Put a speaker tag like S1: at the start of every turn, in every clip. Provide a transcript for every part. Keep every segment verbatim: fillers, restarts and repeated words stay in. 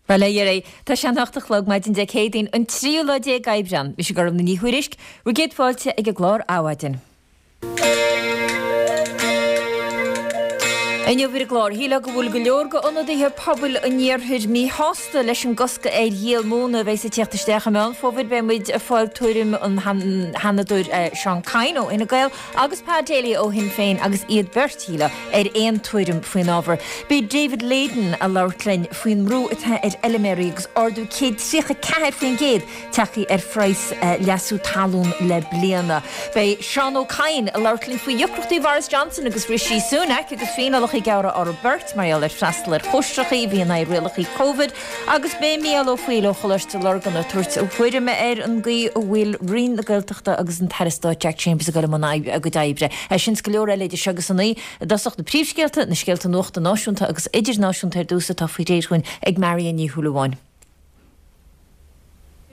S1: Bhuel, a Dheiridh, tá sé an hocht a chlog maidin Dé Céadaoin, an tríú lá déag Aibreán. Mise Gormfhlaith Ní Thuairisg, bhur gcéad fáilte ag an gclár Adhmhaidin. Inniu ar an gclár, shílfeá go bhfuil go leor de ionadaithe pobail an iarthair míshásta leis an gcosc ar dhíol móna a bheas ag teacht isteach i Meán Fómhair. Beidh muid ag fáil tuairim an Sheanadóir Seán Kyne ó Fhine Gael agus Pa Daly ó Shinn Féin agus iad beirt, shílfeá, ar aon tuairim faoin ábhar. Beidh David Leyden ag labhairt linn faoin mbrú atá ar fheilméaraí agus ardú céad tríocha ceathair faoin gcéad tagtha ar phraghas leasú talún le bliana. Beidh Seán Ó Cadhain ag labhairt linn faoi dheacrachtaí Bhoris Johnson agus Rishi Sunak agus fíneálacha a gearradh orthu beirt mar gheall ar freastal ar chóistreacha a bhí in aghaidh rialacha Covid agus beidh Mícheál Ó Foighil ó Choláiste Lurgan ag tabhairt a thuairime ar an gcaoi a bhfuil Roinn na Gaeltachta agus an tAire Stáit Jack Chambers ag dul i mbun a gcuid oibre. É sin is go leor eile idir seo agus a naoi. I dtosach na príomhscéalta, na scéalta nuachta náisiúnta agus idirnáisiúnta ar dtús atá faoi réir dhúinn ag Marion Ní Shúilleabháin.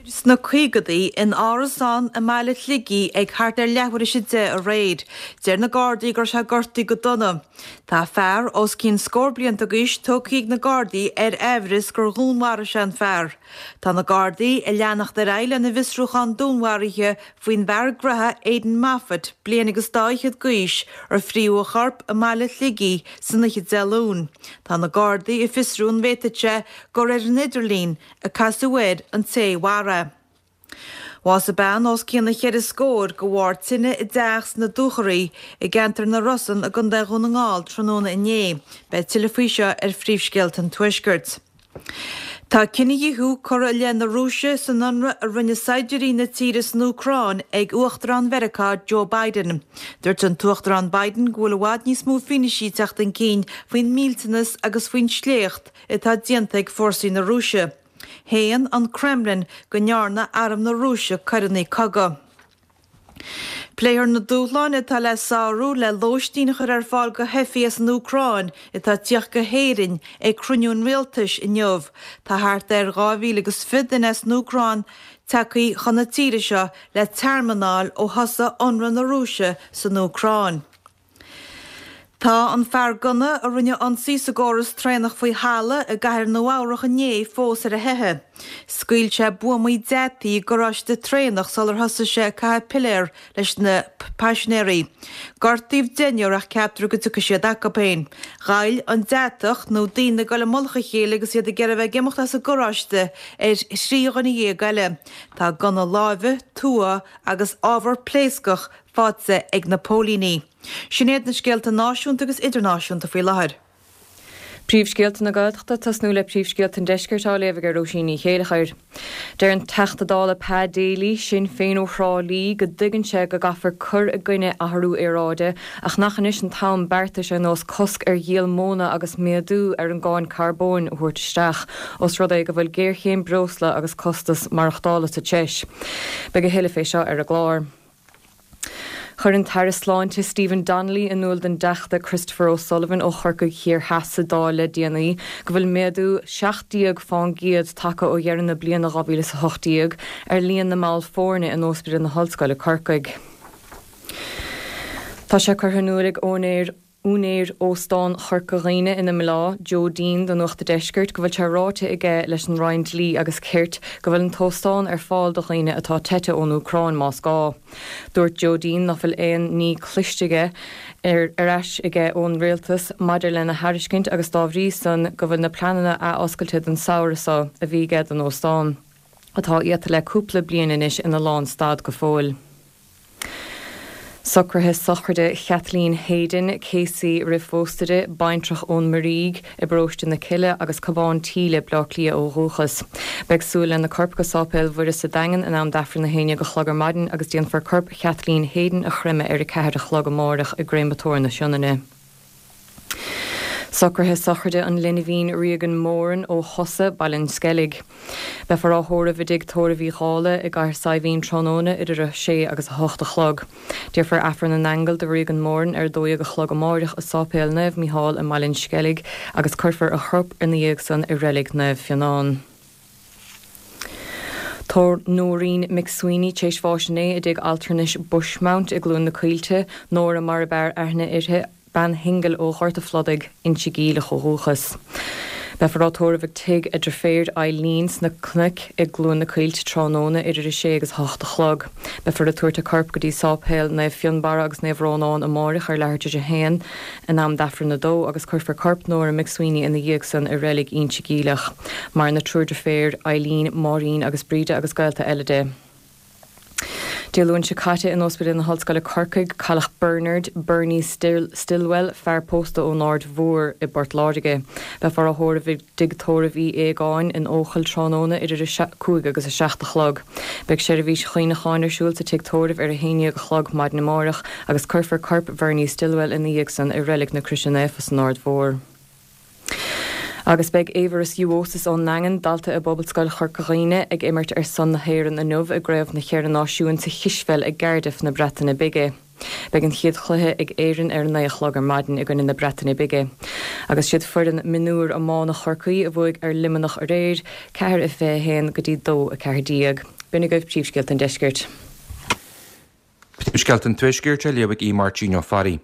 S2: Sna caogadaí, in árasán i mbaile Shligigh ag thart ar leathuair théis a deich aréir. Deir na Gardaí go raibh sé gortaithe go dona. Tá fear os cionn scór blianta d'aois tógtha ag na Gardaí ar aimhreas gur dhúnmharaigh sé an fear. Tá na Gardaí ag leanacht ar aghaidh lena bhfiosrúchán dúnmharaithe faoin bhfear graithe Aidan Moffitt, bliain agus dá fhichead d'aois, ar fríodh a chorp i mbaile Shligigh san oíche Dé Luain. Tá na Gardaí ag fiosrú an bhféadfadh sé gur ar an idirlíon a casadh air an té a mharaigh é. Bhásaigh bean os cionn a cheithre scór de bharr tine i dteach sna Dúchoraidh i gceantar na Rosann i gContae Dhún na nGall tráthnóna inné. Beidh tuilleadh faoi seo ar Phríomhscéalta an Tuaiscirt. Tá cinedhíothú curtha i leith na Rúise san ionradh a rinne saighdiúirí na tíre san Úcráin ag Uachtarán Mheiriceá Joe Biden. Dúirt an tUachtarán Biden go bhfuil i bhfad níos mó fianaisí ag teacht chun cinn faoin millteanas agus faoin sléacht atá déanta ag fórsaí na Rúise. Shéan an Kremlin go ndearna arm na Rúise coireanna cogaidh. Pléifear na dúshláin atá le sárú le lóistín a chur ar fáil do theifigh as an Úcráin atá ag tíocht go hÉirinn ag cruinniú an Rialtais inniu. Tá thart ar dhá mhíle agus fiche duine as an Úcráin tagtha chun na tíre seo le tearmann a fháil ó thosaigh ionradh na Rúise san Úcráin. Tá an fear gunna a rinne ionsaí sa gcóras traenach faoi thalamh i gcathair Nua-Eabhrac inné fós ar a theitheadh. Scaoil sé buamaí deataí i gcarráiste traenach sular thosaigh sé ag caitheamh piléar leis na paisinéirí. Gortaíodh deichniúr ach ceaptar go dtiocfaidh siad acu féin. Ghoill an deatach, nó daoine ag dul i mullach a chéile agus iad ag iarraidh a bheith ag imeacht as an gcarráiste, ar thrí dhuine dhéag eile. Tá gunna láimhe, tua agus ábhar pléascach faighte ag na póilíní. Sin iad na scéalta náisiúnta agus idirnáisiúnta faoi láthair.
S3: Príomhscéalta na Gaeltachta, tosnú le príomhscéalta an Deiscirt á léamh ag Róisín Ní Chéilleachair. Deir an Teachta Dála Pa Daly, Sinn Féin ó Thrá Lí, go dtuigeann sé go gcaithfear cur i gcoinne athrú aeráide ach nach anois an t-am beartais ar nós cosc ar dhíol móna agus méadú ar an gcáin carbóin a thabhairt isteach os rud é go bhfuil géarchéim breosla agus costas maireachtála sa treis. Beidh a thuilleadh fé seo ar an gclár. Chuir an tAire Sláinte Stephen Donnelly in iúl don dTeachta Christopher O'Sullivan ó Chorcaigh Thiar Theas sa Dáil le déanaí go bhfuil méadú seacht déag fán gcéad tagtha ó dheireadh na bliana dhá mhíle is a hocht déag ar líon na mball foirne in Ospidéal na hOllscoile Corcaigh. Tá sé curtha in iúl ag úinéir Úinéir Óstán Chorca Dhuibhne ina mBleá, Joe Deane do Nuacht a' Deiscirt go bhfuil sé ráite aige leis an Roinn Dlí agus Cirt go bhfuil an t-óstán ar fáil do dhaoine atá teite ón Úcráin más gá. Dúirt Joe Deane nach bhfuil aon ní cloiste aige ar ais aige ón Rialtas maidir lena thairiscint agus dá bhrí san go bhfuil na pleananna athoscailte don samhradh seo a bhí aige don óstán, atá iata le cúpla bliain anois, ina lánstad go fóill. Socruithe sochraide Kathleen Hayden, Casey roimh phósadh di, baintreach ón Muirígh i bparóiste na Cille agus Cabhán Tíle, Bleá Cliath ó dhúchas. Beidh súil lena corp go Sáipéal Mhuire sa Daingean in am d'Aifreann a haon déag a chlog ar maidin agus déanfar corp Kathleen Hayden a chreimeadh ar a ceathair a chlog amáireach i gCréamatóir na Sionainne. Socruithe sochraide an linbhín Regan Moran ó Chosa, Baile an Sceilg. Beifear á thórramh i dTigh Tórraimh Uí Dhálaigh i gCathair Saidhbhín tráthnóna idir a sé agus a hocht a chlog. Déarfar Aifreann na nAingeal do Regan Moran ar a dó dhéag a chlog amáireach i Sáipéal Naomh Mícheál i mBaile an Sceilg agus cuirfear a chorp ina dhiaidh san i Reilig Naomh Fionán. Tá Nóirín McSweeney tar éis bháis inné i dtigh altranais Bushmount i gCluain na Coillte, Nóra mar ab fhearr aithne uirthi, bean shingil ó Ghort a' Phludaigh, Inse Geimhleach ó dhúchas. Beifear á tórramh ag tigh a deirféar Eileen sna Cnoic i gCluain na Coillte tráthnóna idir a sé agus a hocht a chlog. Beifear ag tabhairt a corp go dtí Sáipéal Naomh Fionnbarra agus Naomh Rónán amáireach ar leathuair tar éis a haon in am d'Aifreann a dó agus cuirfear corp Nóra McSweeney ina dhiaidh san i reilig Inse Geimhleach. Maireann a triúr deirféar Eileen, Máirín agus Bríde agus gaolta eile di. Dé Luain seo caite in Ospidéal na hOllscoile Corcaigh, cailleadh Bernard Bernie Still, Stillwell, fear pósta ón Aird Mhór i bPort Láirge. Beifear á thórramh i dtigh tórraimh Uí Aogáin in Eochaill tráthnóna idir a cúig agus a seacht a chlog. Beidh seirbhís chuimhneacháin ar siúl sa tigh tórraimh ar a haon déag a chlog maidin amárach agus cuirfear corp Bernie Stillwell ina dhiaidh san i reilig na Croise Naofa san Aird Mhór. Agus beidh Éabharas Juosis ón nDaingean, dalta i bPobalscoil Chorca Dhuibhne, ag imirt ar son na hÉireann inniu i gCraobh na Cheithre Náisiún sa chispheil i gCardiff na Breataine Bige. Beidh an chéad chluiche ag Éirinn ar a naoi a chlog ar maidin i gcoinne na Breataine Bige. Agus siad foireann mionúr iomána Chorcaí a bhuaigh ar Luimneach aréir, ceathair a fiche a haon go dtí dó a ceathair déag. B'in agaibh príomhscéalta an deiscirt.
S4: Príomhscéalta an Tuaiscirt á léamh ag Aodh Máirtín Ó Fearraigh.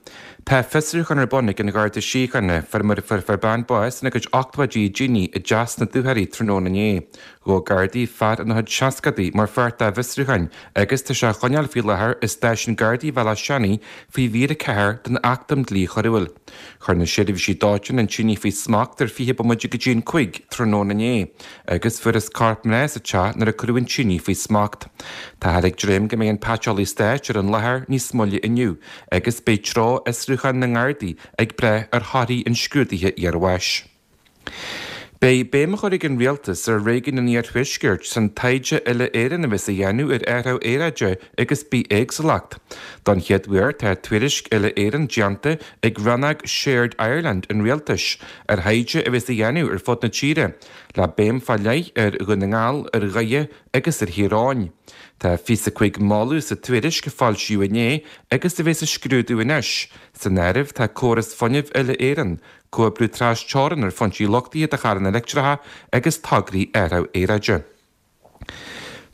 S4: Tá fiosrúchán ar bun ag an Gharda Síochána faoi mar a fuair bean bás ina cuid ochtóidí i dtine i dteach sna Dúchoraidh tráthnóna inné. Ghabh Gardaí fear ina chuid seascadaí mar pháirt dá bhfiosrúcháin agus tá sé á choinneáil faoi láthair i Stáisiún Gardaí Bhealach Seanaidh faoi mhír a ceathair den Acht um Dhlí Choiriúil. Chuir na seirbhísí dóiteáin an tine faoi smacht ar fiche bomaite go dtí an cúig tráthnóna inné agus fuarthas corp mná sa teach nuair a cuireadh an tine faoi smacht. Táthar ag dréim go mbeidh an Paiteolaí Stáit ar an láthair níos moille inniu agus beidh treo fhiosrúchán na nGardaí ag brath ar thorthaí an scrúdaithe iarbháis. Beidh béim á chur ag an Rialtas ar réigiún an Iarthuaiscirt san taighde uile-Éireann a bheas á dhéanamh ar athrú aeráide agus bithéagsúlacht. Don chéad uair tá tuairisc uile-Éireann déanta ag rannóg Shared Ireland an Rialtais ar thaighde a bheas á dhéanamh ar fud na tíre, le béim fá leith ar Dhún na nGall, ar Dhoire agus ar Thír Eoghain. Tá fiche is a cúig moladh sa tuairisc a foilsíodh inné agus a bheas á scrúdú anois. San áireamh tá córas fuinnimh uile-Éireann, comhoibriú trasteorann ar foinsí luchtaithe do charranna leictreacha agus tograí athrú aeráide.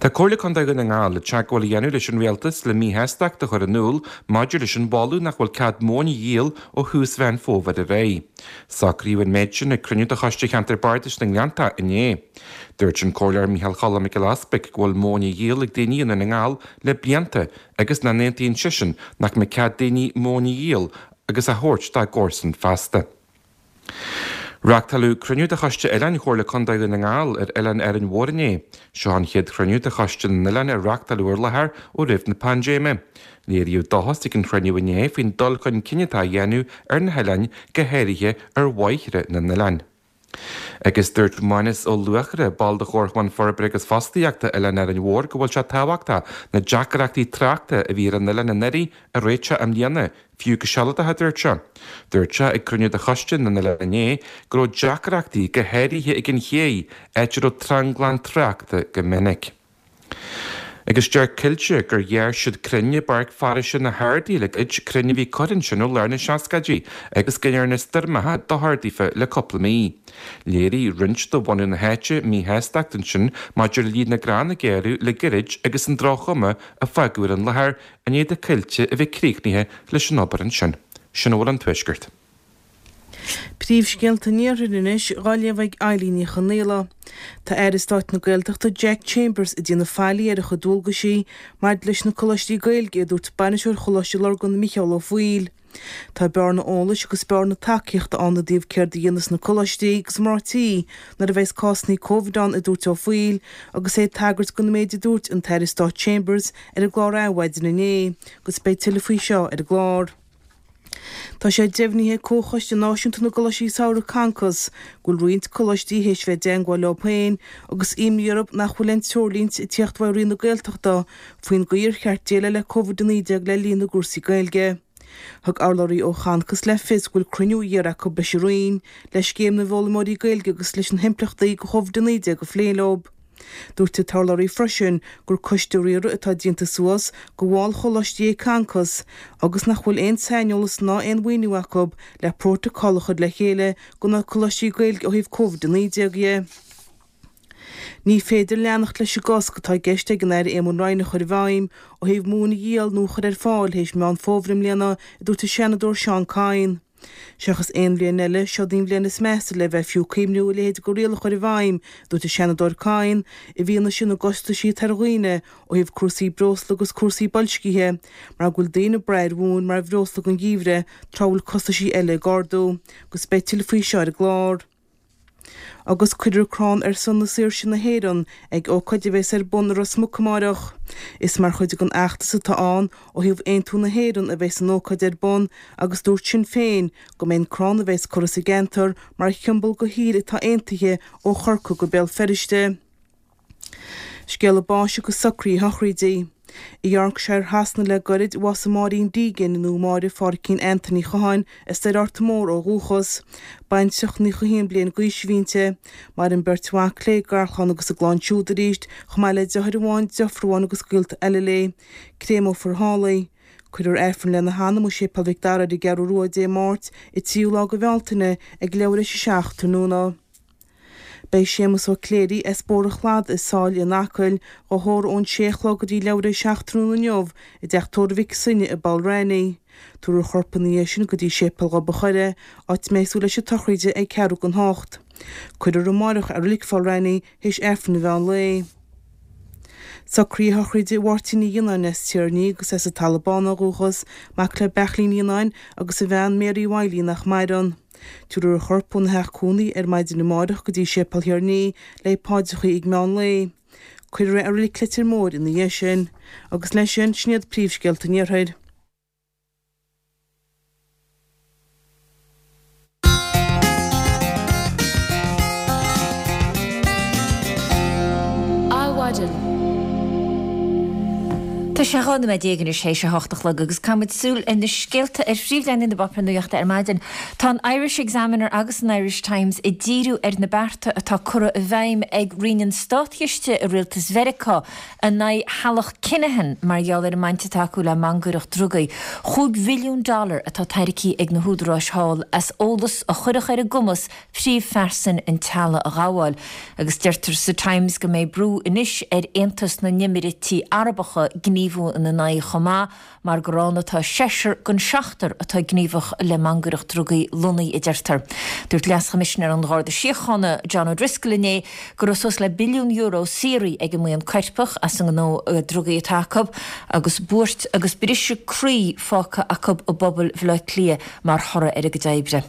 S4: Tá Comhairle Contae Dhún na nGall ag teagmháil a dhéanamh leis an Rialtas le míshástacht a chur in iúl maidir leis an mholadh nach bhfuil cead móin a dhíol ó thús Mheán Fómhair ar aghaidh. Socraíodh an méid sin ag cruinniú de Choiste Cheantar Bardais na nGleanntach inné. Dúirt an Comhairleoir Micheál Choilm Mac Giolla Easpaig go bhfuil móin á dhíol ag daoine i nDún na nGall le blianta agus nach n-aontaíonn seisean nach mbeidh cead daoine móin a dhíol agus a thabhairt dá gcomharsain feasta. Reáchtáladh cruinniú de Choiste Oileáin Chomhairle Contae Dhún na nGall ar Oileán Árainn Mhór inné. Seo an chéad chruinniú de Choiste na nOileán a reáchtáladh ar láthair ó roimh na paindéime. Léiríodh dóchas ag an chruinniú inné faoin dul chun cinn atá á dhéanamh ar na hoileáin, go háirithe ar bhóithre na n-oileán. Agus dúirt Mánas Ó Luachra, ball de Chomharchumann Forbartha agus Fostaíochta Oileán Árainn Mhór go bhfuil sé tábhachtach na deacrachtaí tráchta a bhí ar an oileán anuraidh a réiteach i mbliana, fiú go sealadach, a dúirt sé. Dúirt sé ag cruinniú de Choiste na nOileán inné go raibh deacrachtaí go háirithe ag an ché, áit a raibh tranglam tráchta go minic. Agus deir Coillte gur ghearr siad crainn i bPáirc Foraoise na hArdaí le gairid, crainn a bhí curtha ansin ó lár na seascaidí agus go ndearna stoirmeacha dochar daofa le cúpla mí. Léirigh roinnt de bhunadh na háite míshástacht ansin maidir le líon na gcrann a gearradh le gairid agus an droch-chuma a fágadh ar an láthair i ndiaidh do Coillte a bheith críochnaithe leis an obair ansin. Sin a bhfuil ón Tuaisceart.
S5: Príomhscéalta an Iarthair anois dhá léamh ag Eileen Ní Chonghaile. Tá Aire Stáit na Gaeltachta Jack Chambers ag déanamh faillí ar a chuid dualgaisí maidir leis na coláistí Gaeilge, a dúirt bainisteoir Choláiste Lurgan Micheál Ó Foighil. Tá bearna eolais agus bearna tacaíochta ann i dtaobh céard a dhéanfas na coláistí agus mná tí nuair a bheas cásanna Covid ann, a dúirt Ó Foighil agus é ag tagairt don méid a dúirt an tAire Stáit Chambers ar an gclár Adhmhaidin inné agus beidh tuilleadh faoi seo ar an gclár. Tá sé deimhnithe ag Comhchoiste Náisiúnta na gColáistí Samhraidh, Concos, go bhfuil roinnt coláistí théis bheith i dteangmháil leo féin agus imní orthu nach bhfuil aon treoirlínte ag tíocht uaidh Roinn na Gaeltachta faoin gcaoi ar cheart déileáil le Covid a naoi déag le linn na gcúrsaí Gaeilge. Thug urlabhraí ó Choncos le fios go bhfuil cruinniú iarrtha acu leis an Roinn le scéim na bhfoghlaimeoirí Gaeilge agus leis na himpleachtaí do Chovid a naoi déag a phlé leo. Dúirt an t-urlabhraí freisin gur coiste riartha atá déanta suas de bhaill choláistí é Concos agus nach bhfuil aon saineolas ná aon mhaoiniú acu le prótacal a chur le chéile do na coláistí Gaeilge ó thaobh Covid a naoi déag dhe. Ní féidir leanacht leis an gcosc atá i gceist ag an Aire Éamon Ryan a chur i bhfeidhm ó thaobh móin a dhíol nó a chur ar fáil théis Meán Fómhair i mbliana, a dúirt an Seanadóir Seán Kyne. Seachas aon bhliain eile, seod í an bhliain is measa le bheith fiú cuimhniú a leithéid de riail a chur i bhfeidhm, a dúirt an Seanadóir Kyne, i bhfianaise na gcostaisí atá ar dhaoine ó thaobh cúrsaí breosla agus cúrsaí boilscithe, mar go bhfuil daoine ag brath ar mhóin mar bhreosla don gheimhreadh tráth a bhfuil costaisí eile ag ardú, agus beidh tuilleadh faoi seo ar an gclár. Agus cuirfear crann ar son na saoirse na hÉireann ag ócáid a bheas ar bun i Ros Muc amáireach. Is mar chuid den fheachtas atá ann ó thaobh aontú na hÉireann a bheas an ócáid ar bun agus dúirt Sinn Féin go mbeidh an crann a bheas curtha sa gceantar mar shiombail go thír atá aontaithe ó Chorcaigh go Béal Feirste. Scéala báis agus socruithe sochraide. I Yorkshire Shasana le gairid a bhásaigh Máirín Deegan, nó Máire Phádhraicín Antaine Uí Chatháin, as Doire Arta Mór ó dhúchas. Baintreach naocha haon bliain d'aois a bhí inti. Maireann beirt mhac léi, garchlann agus a gclann siúd arís, chomh maith le deartháir amháin, deirfiúr amháin agus gaolta eile léi. Créameofar thall í. Cuirfear Aifreann lena hanam i Séipéal Mhic Dara ar an gCeathrú Rua Dé Máirt, an tríú lá de Bhealtaine, ag leathuair théis a seacht tráthnóna. Beidh Séamus Ó Cléirigh as Bóthar an Chladaigh i Sáile in Acaill dhá thórramh ón sé a chlog go dtí leathuair théis a seacht tráthnóna inniu i dteach tórraimh Mhic Suibhne i Balranney. Tabharfar a chorp ina dhiaidh sin go dtí Séipéal Ghob a' Choire, áit a mbeidh súil leis an tsochraid ag ceathrú don hocht. Cuirfear amáireach i Reilig Bhalranney théis Aifreann an mheán lae. Socruithe sochraide Mháirtín Uí Fhionnáin as Tír an Fhia agus as an Talamh Bán ó dhúchas, mac le Beairtlín Uí Fhionnáin agus a bhean Mary Wiley nach maireann. Tabharfar a chorp óna theach cónaí ar maidin amáireach go dtí Séipéal Thír an Fhia le paidreacha ag meán lae. Cuirfear é i Reilig Leitir Móir ina dhiaidh sin. Agus leis sin, sin iad príomhscéalta an Iarthair.
S1: Adhmhaidin. Tá sé dhá nóiméad déag anois théis a hocht a chlog agus caithfimid súil ar na scéalta ar phríomhleathanaigh na bpáipéar nuachta ar maidin. Tá an Irish Examiner agus an Irish Times ag díriú ar na bearta atá curtha i bhfeidhm ag Roinn an Státchiste i Rialtas Mheiriceá in aghaidh theaghlach Kinahan mar gheall ar an mbaint atá acu le mangaireacht drugaí. Chúig bhilliún dollar atá tairgthe ag na húdaráis thall as eolas a chuirfeadh ar a gcumas príomhphearsain an teaghlaigh a ghabháil. Agus deirtear sa Times go mbeidh brú anois ar Aontas na nÉimíríochtaí Arabacha gníomhú ina n-aghaidh chomh maith mar gur ann atá seisear den seachtar atá gníomhach le mangaireacht drugaí lonnaithe, a deirtear. Dúirt Leas-Choimisinéir an Gharda Síochána, John O'Driscoll inné go raibh suas le billiún euro saothraithe ag an mbuíon coirpeach as an ngnó drugaí atá acu agus buairt agus briseadh croí fágtha acu i bpobal Bhaile Átha Cliath mar thoradh ar a gcuid oibre.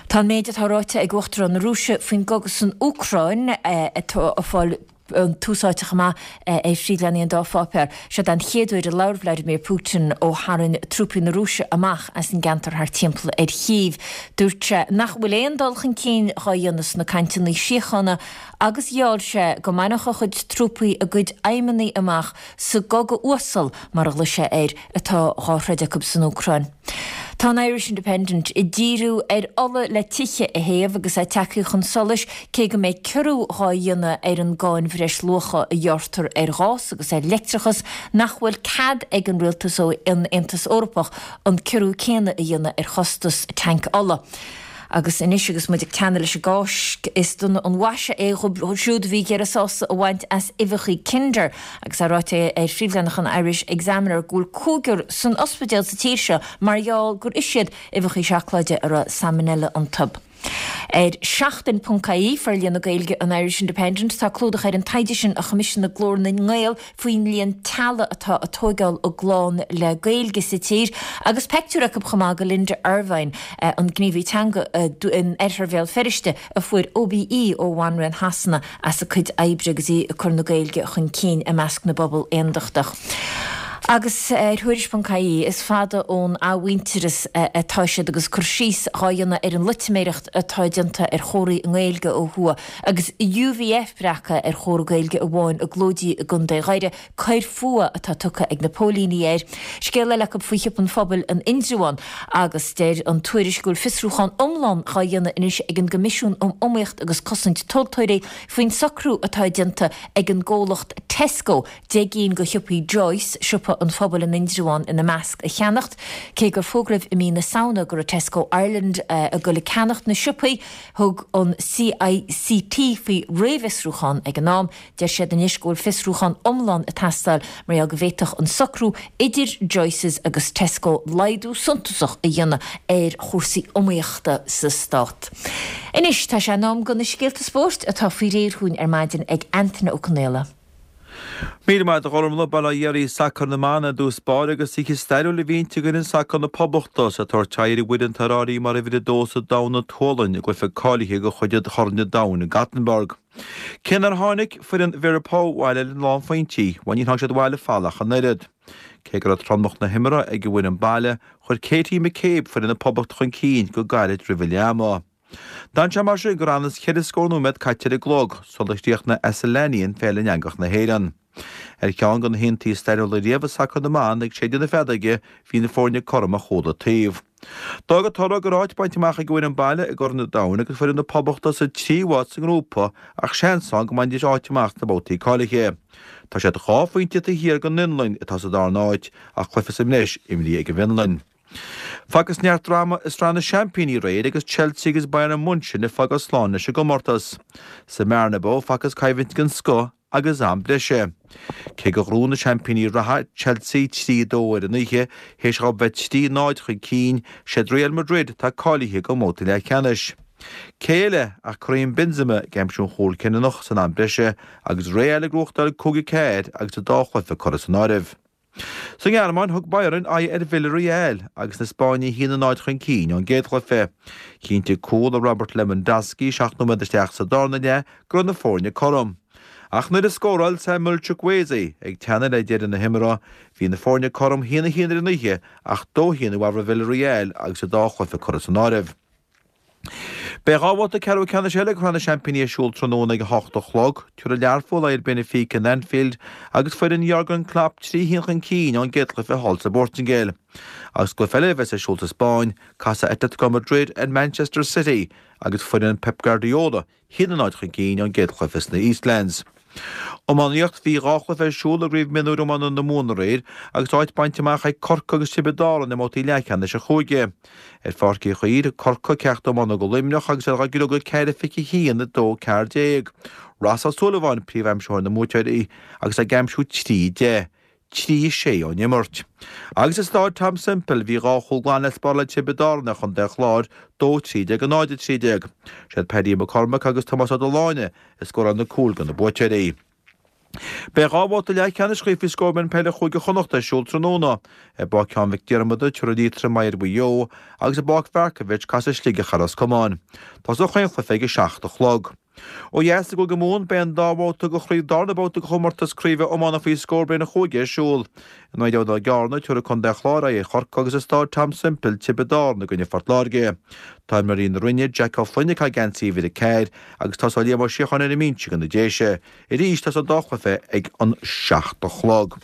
S1: Tá an méid atá ráite ag Uachtarán na Rúise faoin gcogadh san Úcráin atá ag fáil an tús áite chomh maith ar phríomhleathanaigh an dá pháipéar. Seo an chéad uair a labhair Vladimir Putin ó tharraing trúpaí na Rúise amach as an gceantar thart timpeall ar Chív. Dúirt sé nach bhfuil aon dul chun cinn dhá dhéanamh sna cainteanna síochána agus gheall sé go mbainfeadh a chuid trúpaí a gcuid aidhmeanna amach sa gcogadh uasal, mar a ghlaoigh sé air, atá dhá throid acu san Úcráin. Tá an Irish Independent ag díriú ar ola le tithe a théamh agus é tagtha chun solais cé go mbeidh ciorrú dhá dhéanamh ar an gcáin bhreisluacha a ghearrtar ar ghás agus ar leictreachas nach bhfuil cead ag an rialtas ó an Aontas Eorpach an ciorrú céanna a dhéanamh ar chostas tanc ola. Agus anois agus muid ag teannadh leis an gCáisc, is dona an mhaise é dhóibh siúd a bhí ag iarraidh sásamh a bhaint as uibheacha Kinder agus é ráite ar phríomhleathanach an Irish Examiner go bhfuil cúigear san ospidéal sa tír seo mar gheall gur ith siad uibheacha seacláide a raibh salmonella iontu. Ar Seachtain ponc ie, forlíonadh Gaeilge an Irish Independent, tá clúdach ar an taighde sin a choimisiúnaigh Glór na nGael faoin líon teaghlaigh atá ag tóigeáil a gclann le Gaeilge sa tír agus peictiúr acu chomh maith de Linda Ervine, an gníomhaí teanga in oirthear Bhéal Feirste a fuair OBE ó Bhanríon Shasana as a cuid oibre agus í ag cur na Gaeilge chun cinn i measc na bpobal aondachtach. Agus ar Thuairisc ponc ie, is fada ón athmhuintearas atá siad agus cur síos dhá dhéanamh ar an loitiméireacht atá déanta ar chomharthaí i nGaeilge ó thuaidh agus UVF breactha ar chomhartha Gaeilge amháin i gClóidí i gContae Dhoire, coir fuatha atá tugtha ag na póilíní air. Scéal eile acu faoi shiopa an phobail in Indreabhán agus deir an tuairisc go bhfuil fiosrúchán iomlán dhá dhéanamh anois ag an gCoimisiún um Iomaíocht agus Cosaint Tomhaltóirí faoin socrú atá déanta ag an gcomhlacht Tesco deich gcinn de shiopaí Joyce, siopa an phobail in Indreabhán ina measc, a cheannacht. Cé gur fógraíodh i mí na Samhna go raibh Tesco Ireland ag dul ag ceannacht na siopaí, thug an CICT faoi réamhfhiosrúchán ag an am. Deir siad anois go bhfuil fiosrúchán iomlán ag teastáil mar gheall go bhféadfadh an socrú idir Joyces agus Tesco laghdú suntasach a dhéanamh ar chúrsaí iomaíochta sa stát. Anois tá sé in am do na scéalta spóirt atá faoi réir chugainn ar maidin ag Antaine Ó Conaola.
S6: Míle maith agat a Ghormfhlaith, bail ó Dhia oraibh. Sacar na mban i dtús báire agus oíche stairiúil a bhí inti d'fhoireann sacair na Poblachta is iad ag tabhairt aghaidh ar an bhfoireann atá ar áirithe mar uimhir a dó sa domhan an tSualainn i gcluiche cáilithe de chuid Chorn an Domhain i Gothenburg. Cé nár tháinig foireann Vera Pauw abhaile le lánphointí, bhuel níor tháinig siad abhaile folamh ach an oiread. Cé go raibh tromlach na himeartha ag an bhfoireann baile, chuir Katie McCabe foireann na Poblachta chun cinn go gairid roimh an leath ama. D'fhan sé mar sin go raibh ionann is ceithre scór nóiméad caite ar an gclog sular chríochnaigh Asllani Féile in Eangach na hÉireann. Ar cheann de na hiontaí stairiúla riamh i sacar na mban ag séideadh na feadóige, bhí na foirne cothrom ó chuile taobh. D'fhág an toradh go raibh áit bainte amach ag an bhfoireann baile i gCorn an Domhain agus foireann na Poblachta sa tríú háit sa ngrúpa ach seans ann go mbainfidís áit amach sna babhtaí cáilithe. Tá siad dhá phointe taobh thiar den Fhionlainn atá sa darna háit ach cluiche sa mbreis imrithe ag an bhFionlainn. Facthas neart dráma i Sraith na Seaimpíní aréir agus Chelsea agus Bayern Munchen ag fágáil slán leis an gcomórtas. Sa mBernabeu facthas coimhlint den scoth agus am breise. Cé gur ghnóthaigh na seaimpíní reatha, Chelsea, trí a dó ar an oíche, théis dhóibh bheith trí náid chun cinn, siad Real Madrid atá cáilithe don mbabhta leathcheannais. Cé eile ach Karim Benzema ag aimsiú an chúil cinniúnach san am breise agus Real ag gnóthachtáil cúig a ceathair agus an dá chluiche curtha san áireamh. Sa nGearmáin, thug Bayern aghaidh ar Villarreal agus na Spáinnigh a haon a náid chun cinn ón gcéad chluiche. Chinntigh cúl ó Robert Lewandowski seacht nóiméad isteach sa darna leath go raibh na foirne cothrom. Ach nuair a scóráil Samuel Chukwueze ag teannadh le deireadh na himeartha, bhí na foirne cothrom a haon a haon ar an oíche ach dó a haon i bhfabhar Villarreal agus an dá chluiche curtha san áireamh. Beidh dhá bhabhta ceathrú ceannais eile de Shraith na Seaimpíní ar siúl tráthnóna ag a hocht a chlog. Tabharfaidh Learpholl aghaidh ar Benfica in Anfield agus foireann Jurgen Klopp trí haon chun cinn ón gcéad chluiche thall sa bPortaingéil. Agus cluiche eile a bheas ar siúl sa Spáinn, casfaidh Atletico Madrid ar Manchester City agus foireann Pep Guardiola haon a náid chun cinn ón gcéad chluiche sna Eastlands. Iománaíocht, Bhí dhá chluiche ar siúl i gCraobh Mionúir Iomána na Mumhan aréir agus áit bainte amach ag Corcaigh agus Tiobraid Árann i mbabhtaí leathcheannais an chúige. Ar Pháirc Uí Chaoimh, thug Corcaigh ceacht iomána do Luimneach agus iad á gcriogadh ceithre fiche a haon, a dó ceathair déag. Ross Ó Súilleabháin príomhaimsitheoir na mbuaiteoirí agus é ag aimsiú trí deich. trí sé ón imirt. Agus i Stáid Tom Semple bhí dhá chúl glan le spáráil ag Tiobraid Árann ar Chontae an Chláir, dó trí déag a náid a trí déag. Siad Paddy McCormack agus Tomás Ó Dubhshláine a scóráil na cúil do na buaiteoirí. Beidh dhá bhabhta leathcheannais Chraobh Faoi Scór Mionúr Peile Chúige Chonnacht ar siúl tráthnóna. I bPáirc Sheáin Mhic Diarmada, tabharfaidh Liatroim aghaidh ar Mhaigh Eo agus i bPáirc Mharkievicz casfaidh Sligeach ar Ros Comáin. Tosóidh chaon chluiche ag a seacht a chlog. Ó dheas i gCúige Mumhan, beidh an dá bhabhta de chraobh darna babhta de chomórtas craoibhe iomána faoi scór bliain an chúige ar siúl. In Aghaidh Dá gCearna, tabharfaidh Contae an Chláir aghaidh ar Chorcaigh agus i Stáid Tom Semple, Tiobraid Árann i gcoinne Phort Láirge. Tá imreoirí na Rinne, Jack Ó Floinn ag caitheamh geansaí uimhir a ceathair agus tosóidh Liam Ó Síocháin ar an mbinse do na Déise. Arís, tosóidh an dá chluiche ag an seacht a chlog.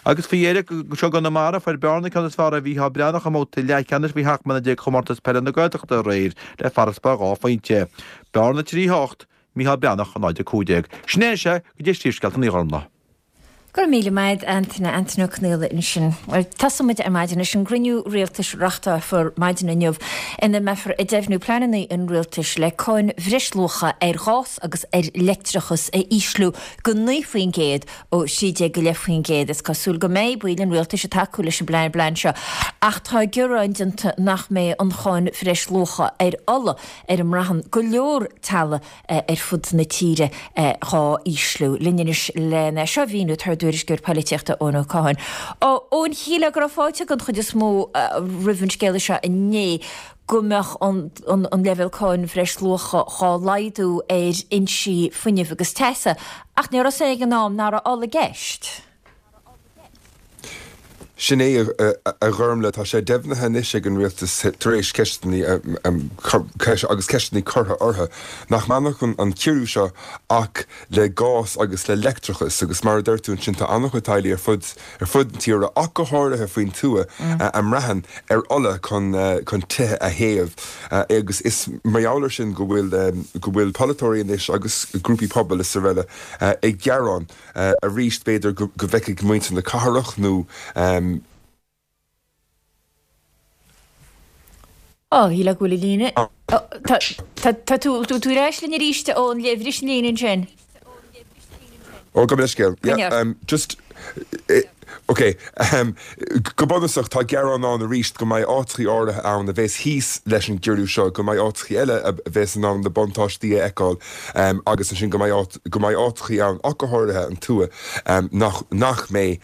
S6: Agus faoi dheireadh, anseo i gConamara, fuair Bearna ceann is fearr ar Mhícheál Breathnach i mbabhta leathcheannais faoi sheacht mbliana déag chomórtas peile na Gaeltachta aréir le farasbarr dhá phointe. Bearna trí a hocht, Mícheál Breathnach a náid a cúig déag. Sin é sé go dtí Príomhscéalta an Ghormfhlaith.
S1: Go raibh míle maith agat Antaine, Antaine Ó Conaola ansin. Bhuel, tosóidh muid ar maidin leis an gcruinniú rialtais a reáchtálfar maidin inniu ina mbeifear ag deimhniú pleananna an rialtais le cáin bhreisluacha ar ghás agus ar leictreachas a ísliú go naoi faoin gcéad ó thrí déag go leith faoin gcéad. Is cosúil go mbeidh baill an rialtais ag tacú leis an bplean seo ach tá gearán déanta nach mbeidh an cháin bhreisluacha ar ola ar a mbraitheann go leor teaghlaigh ar fud na tíre dhá ísliú. Linn anois lena seo a mhíniú tá ár dtuairisceoir polaitíochta Eoin Ó Catháin. Eoin, shílfeá go raibh fáilte den chuid is mó roimh an scéala seo inné go mbeadh an leibhéal cáin bhreisluacha dhá laghdú ar fhoinsí fuinnimh agus teasa ach ní raibh a fhios ag an am nach raibh ola i gceist.
S7: Sin é, a Ghormlaith, tá sé deimhnithe anois ag an rialtas tar éis ceisteanna agus ceisteanna curtha orthu, nach mbainfeadh an ciorrú seo ach le gás agus le leictreachas agus mar a deir tú ansin tá an-chuid teaghlaigh ar fud ar fud na tíre ach go háirithe faoin tuath a mbraitheann ar ola chun chun tithe a théamh agus is mar gheall air sin go bhfuil go bhfuil polaiteoirí anois agus grúpaí pobail is araile ag gearán arís b'fhéidir go bhfeicfidh muintir na cathrach nó
S1: Ó, shílfeá go bhfuil an líne. Tá tú tú ar ais linn arís ón bhris an líne ansin.
S7: Ó, gabh mo leithscéal. Yeah, just Ok, go bunúsach tá gearán ann arís go mbeidh áiteachaí áirithe ann a bheas thíos leis an gciorrú seo, go mbeidh áiteachaí eile a bheas in ann na buntáistí a fheiceáil agus ansin go mbeidh go mbeidh áiteachaí ann, ach go háirithe an tuath, nach nach mbeidh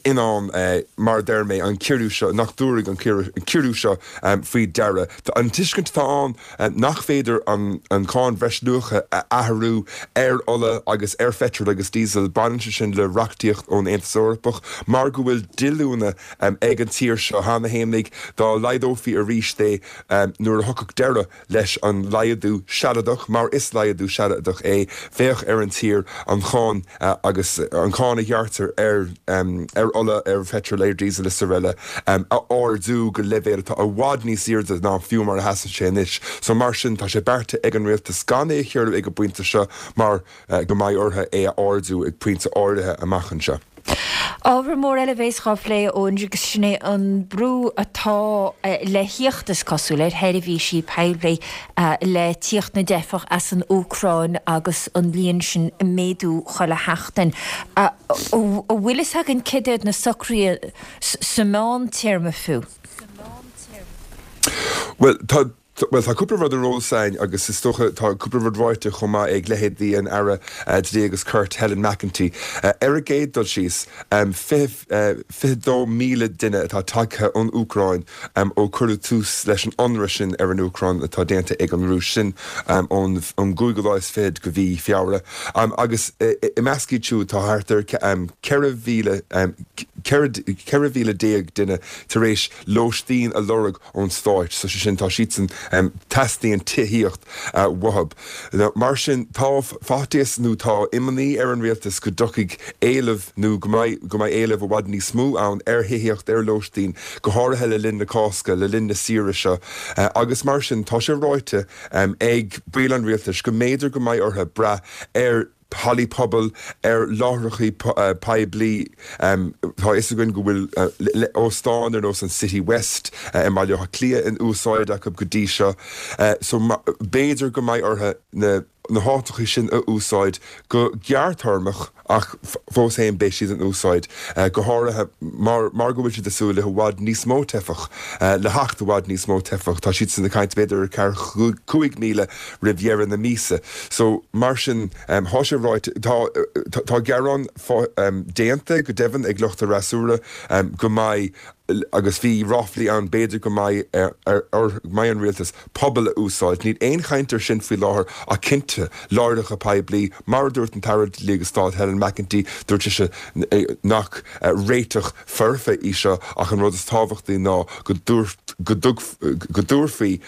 S7: in ann, mar a deir mé, an ciorrú seo, nach dtabharfaidh an ciorrú seo faoi deara. An tuiscint atá ann nach féidir an cháin bhreisluacha a athrú ar ola agus ar pheitreal agus díosal, baineann sé sin le reachtaíocht ón Aontas Eorpach mar go bhfuil díolúine ag an tír seo cheana fhéinig, dá laghdófaí arís é nuair a thiocfadh deireadh leis an laghdú sealadach, mar is laghdú sealadach é, bheadh ar an tír an cháin agus an cháin a ghearrtar ar ar ola, ar pheitreal, ar dhíosal is araile a ardú go leibhéal atá i bhfad níos airde ná fiú mar a sheasann sé anois. So mar sin, tá sé beartaithe ag an rialtas gan é a chiorrú ag an bpointe seo mar go mbeidh orthu é a ardú ag pointe áirithe amach anseo.
S1: Ábhar mór eile a bheas dhá phlé, Eoin, agus sin é an brú atá le theacht, is cosúil, ar sheirbhísí poiblí le tíocht na dteifeach as an Úcráin agus an líon sin ag méadú chuile sheachtain. An bhfuil fhios againn céard iad na socruithe sa mheántéarma fiú?
S7: Bhuel, tá Bhuel, tá cúpla rud ar eolas againn agus is dócha tá cúpla rud ráite chomh maith ag leithéidí an Aire Dlí agus Cirt, Helen McEntee. Ar an gcéad dul síos, fiche dó míle duine atá tagtha ón Úcráin ó cuireadh tús leis an ionradh sin ar an Úcráin atá déanta ag an Rúis, sin ón gcúigiú lá is fichead de mhí Feabhra. Agus i measc iad siúd tá thart ar ceithre mhíle, ceithre mhíle déag duine tar éis lóistín a lorg ón stáit, so sé sin tá siadsan, teastaíonn tithíocht uathu. Mar sin tá faitíos nó tá imní ar an rialtas go dtiocfaidh éileamh nó go mbeidh go mbeidh éileamh i bhfad níos mó ann ar thithíocht, ar lóistín, go háirithe le linn na Cásca, le linn na saoire seo agus mar sin tá sé ráite ag baill an rialtais go mb'fhéidir go mbeidh orthu brath ar hallaí pobail, ar láithreachaí poiblí. Tá a fhios againn go bhfuil óstáin ar nós an City West i mBaile Átha Cliath in úsáid acu go dtí seo so b'fhéidir go mbeidh orthu na háiteachaí sin a úsáid go gearrthéarmach ach fós féin beidh siad in úsáid, go háirithe mar mar go bhfuil siad ag súil le i bhfad níos mó teifeach, le theacht i bhfad níos mó teifeach. Tá siadsan ag caint b'fhéidir ar ceathracha cúig míle roimh dheireadh na míosa. So, mar sin, tá sé ráite, tá, tá gearán déanta go deimhin ag lucht an fhreasúra go mbeidh, agus bhí ráflaí ann, b'fhéidir go mbeidh ar, ar, go mbeidh an rialtas pubaill a úsáid. Níl aon chaint air sin faoi láthair ach cinnte, láithreacha poiblí, mar a dúirt an tAire Dlí agus Stáit Helen McEntee, dúirt sise nach réiteach foirfe í seo ach an rud is tábhachtaí ná go dúirt, go dtabharfaí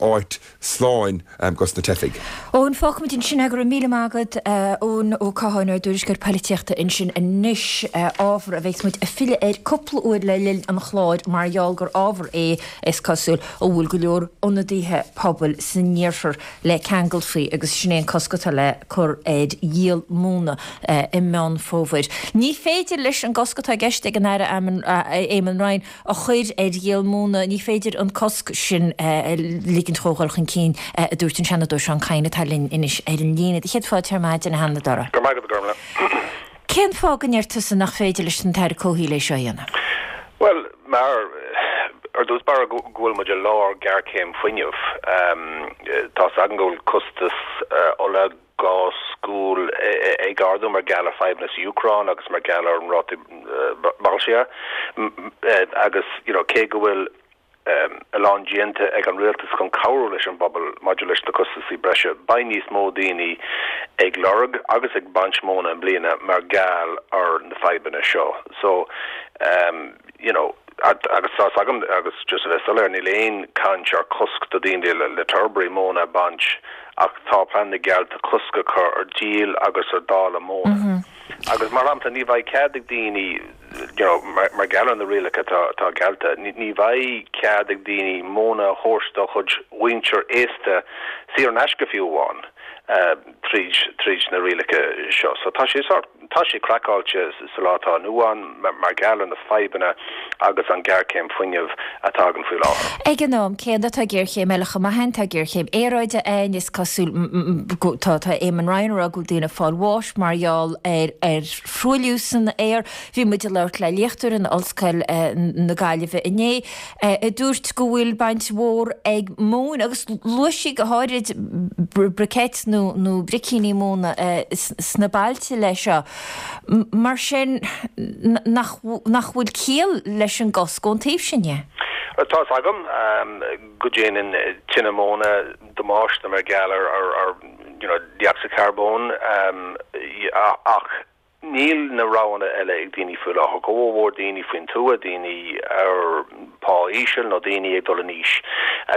S7: áit slán dos na teifigh.
S1: Eoin, fágfaimid ansin é, go raibh míle maith agat, Eoin Ó Catháin, ár dtuairisceoir poilitíochta ansin anois, ábhar a bheas muid ag filleadh air cúpla uair le linn an chláir mar gheall gur ábhar é, is cosúil, a bhfuil go leor ionadaithe pobail san iarthar le ceangal faoi agus sin é an cosc atá le cur ar dhíol móna i Meán Fómhair. Ní féidir leis an gcosc atá i gceist ag an Aire Eamon Ryan a chur ar dhíol móna, ní féidir an cosc sin a ligint dhó dhul chun cinn, a dúirt an Seanadóir Seán Kyne atá linn anois ar an líne. Do chéad fáilte ar maidin, a Sheanadóra.
S8: Go raibh maith agat, a Ghormlaith.
S1: Cén fáth go ndeir tusa nach féidir leis an tAire Comhshaoil é seo a dhéanamh?
S8: Bhuel, mar, ar dtús báire, go bhfuil muid i lár géarchéim fuinnimh. Tá 's againn go bhfuil costas ola, gás, gual ag ardú mar gheall ar fadhbanna sa Úcráin agus mar gheall ar an ráta boilscithe agus, you know, cé go bhfuil a lán déanta ag an rialtas chun cabhrú leis an bpobal maidir leis na costaisí breise, beidh níos mó daoine ag lorg agus ag baint móna i mbliana mar gheall ar na fadhbanna seo. So, um, you know, agus tá agam agus just a bheith soiléir níl aon caint ar cosc do daoine le, le torbrí móna a baint ach tá plean geallta cosc a chur ar díol agus ar dáileadh móna. Mm -hmm. Agus mar shampla ní bheidh cead ag daoine you know, mar, mar gheall ar na rialacha tá, tá geallta, ní, ní bheidh cead ag daoine móna a thabhairt dá chuid mhuintir aosta saor in aisce fiú amháin uh, tríd, tríd na rialacha seo. So tá sé sort, tá sé craiceáilte sa lá atá inniu ann mar, mar gheall ar na fadhbanna agus an géarchéim fuinnimh atá againn faoi láthair.
S1: Ag an am céanna tá géarchéim eile chomh maith ann, tá géarchéim aeráide ann, is cosúil go tá tá Eamon Ryan ag rá go bhfuil daoine ag fáil bháis mar gheall ar ar thruailliú san aer. Bhí muid ag labhairt le léachtóir in Ollscoil na Gaillimhe inné a dúirt go bhfuil baint mhór ag móin agus luaigh sí go háirid briquettes nó nó bricíní móna sna bailte leis seo. Mar sin nach nach bhfuil ciall leis an gcosc ón taobh sin dhe.
S8: Tá agam go ndéanann tine móna damáiste mar gheall ar ar ar you know, dé-ocsaíd charbóin um, ach níl na roghanna eile ag daoine faoi láthair, go mhór daoine faoin tuath, daoine ar pá íseal nó daoine ag dul in aois.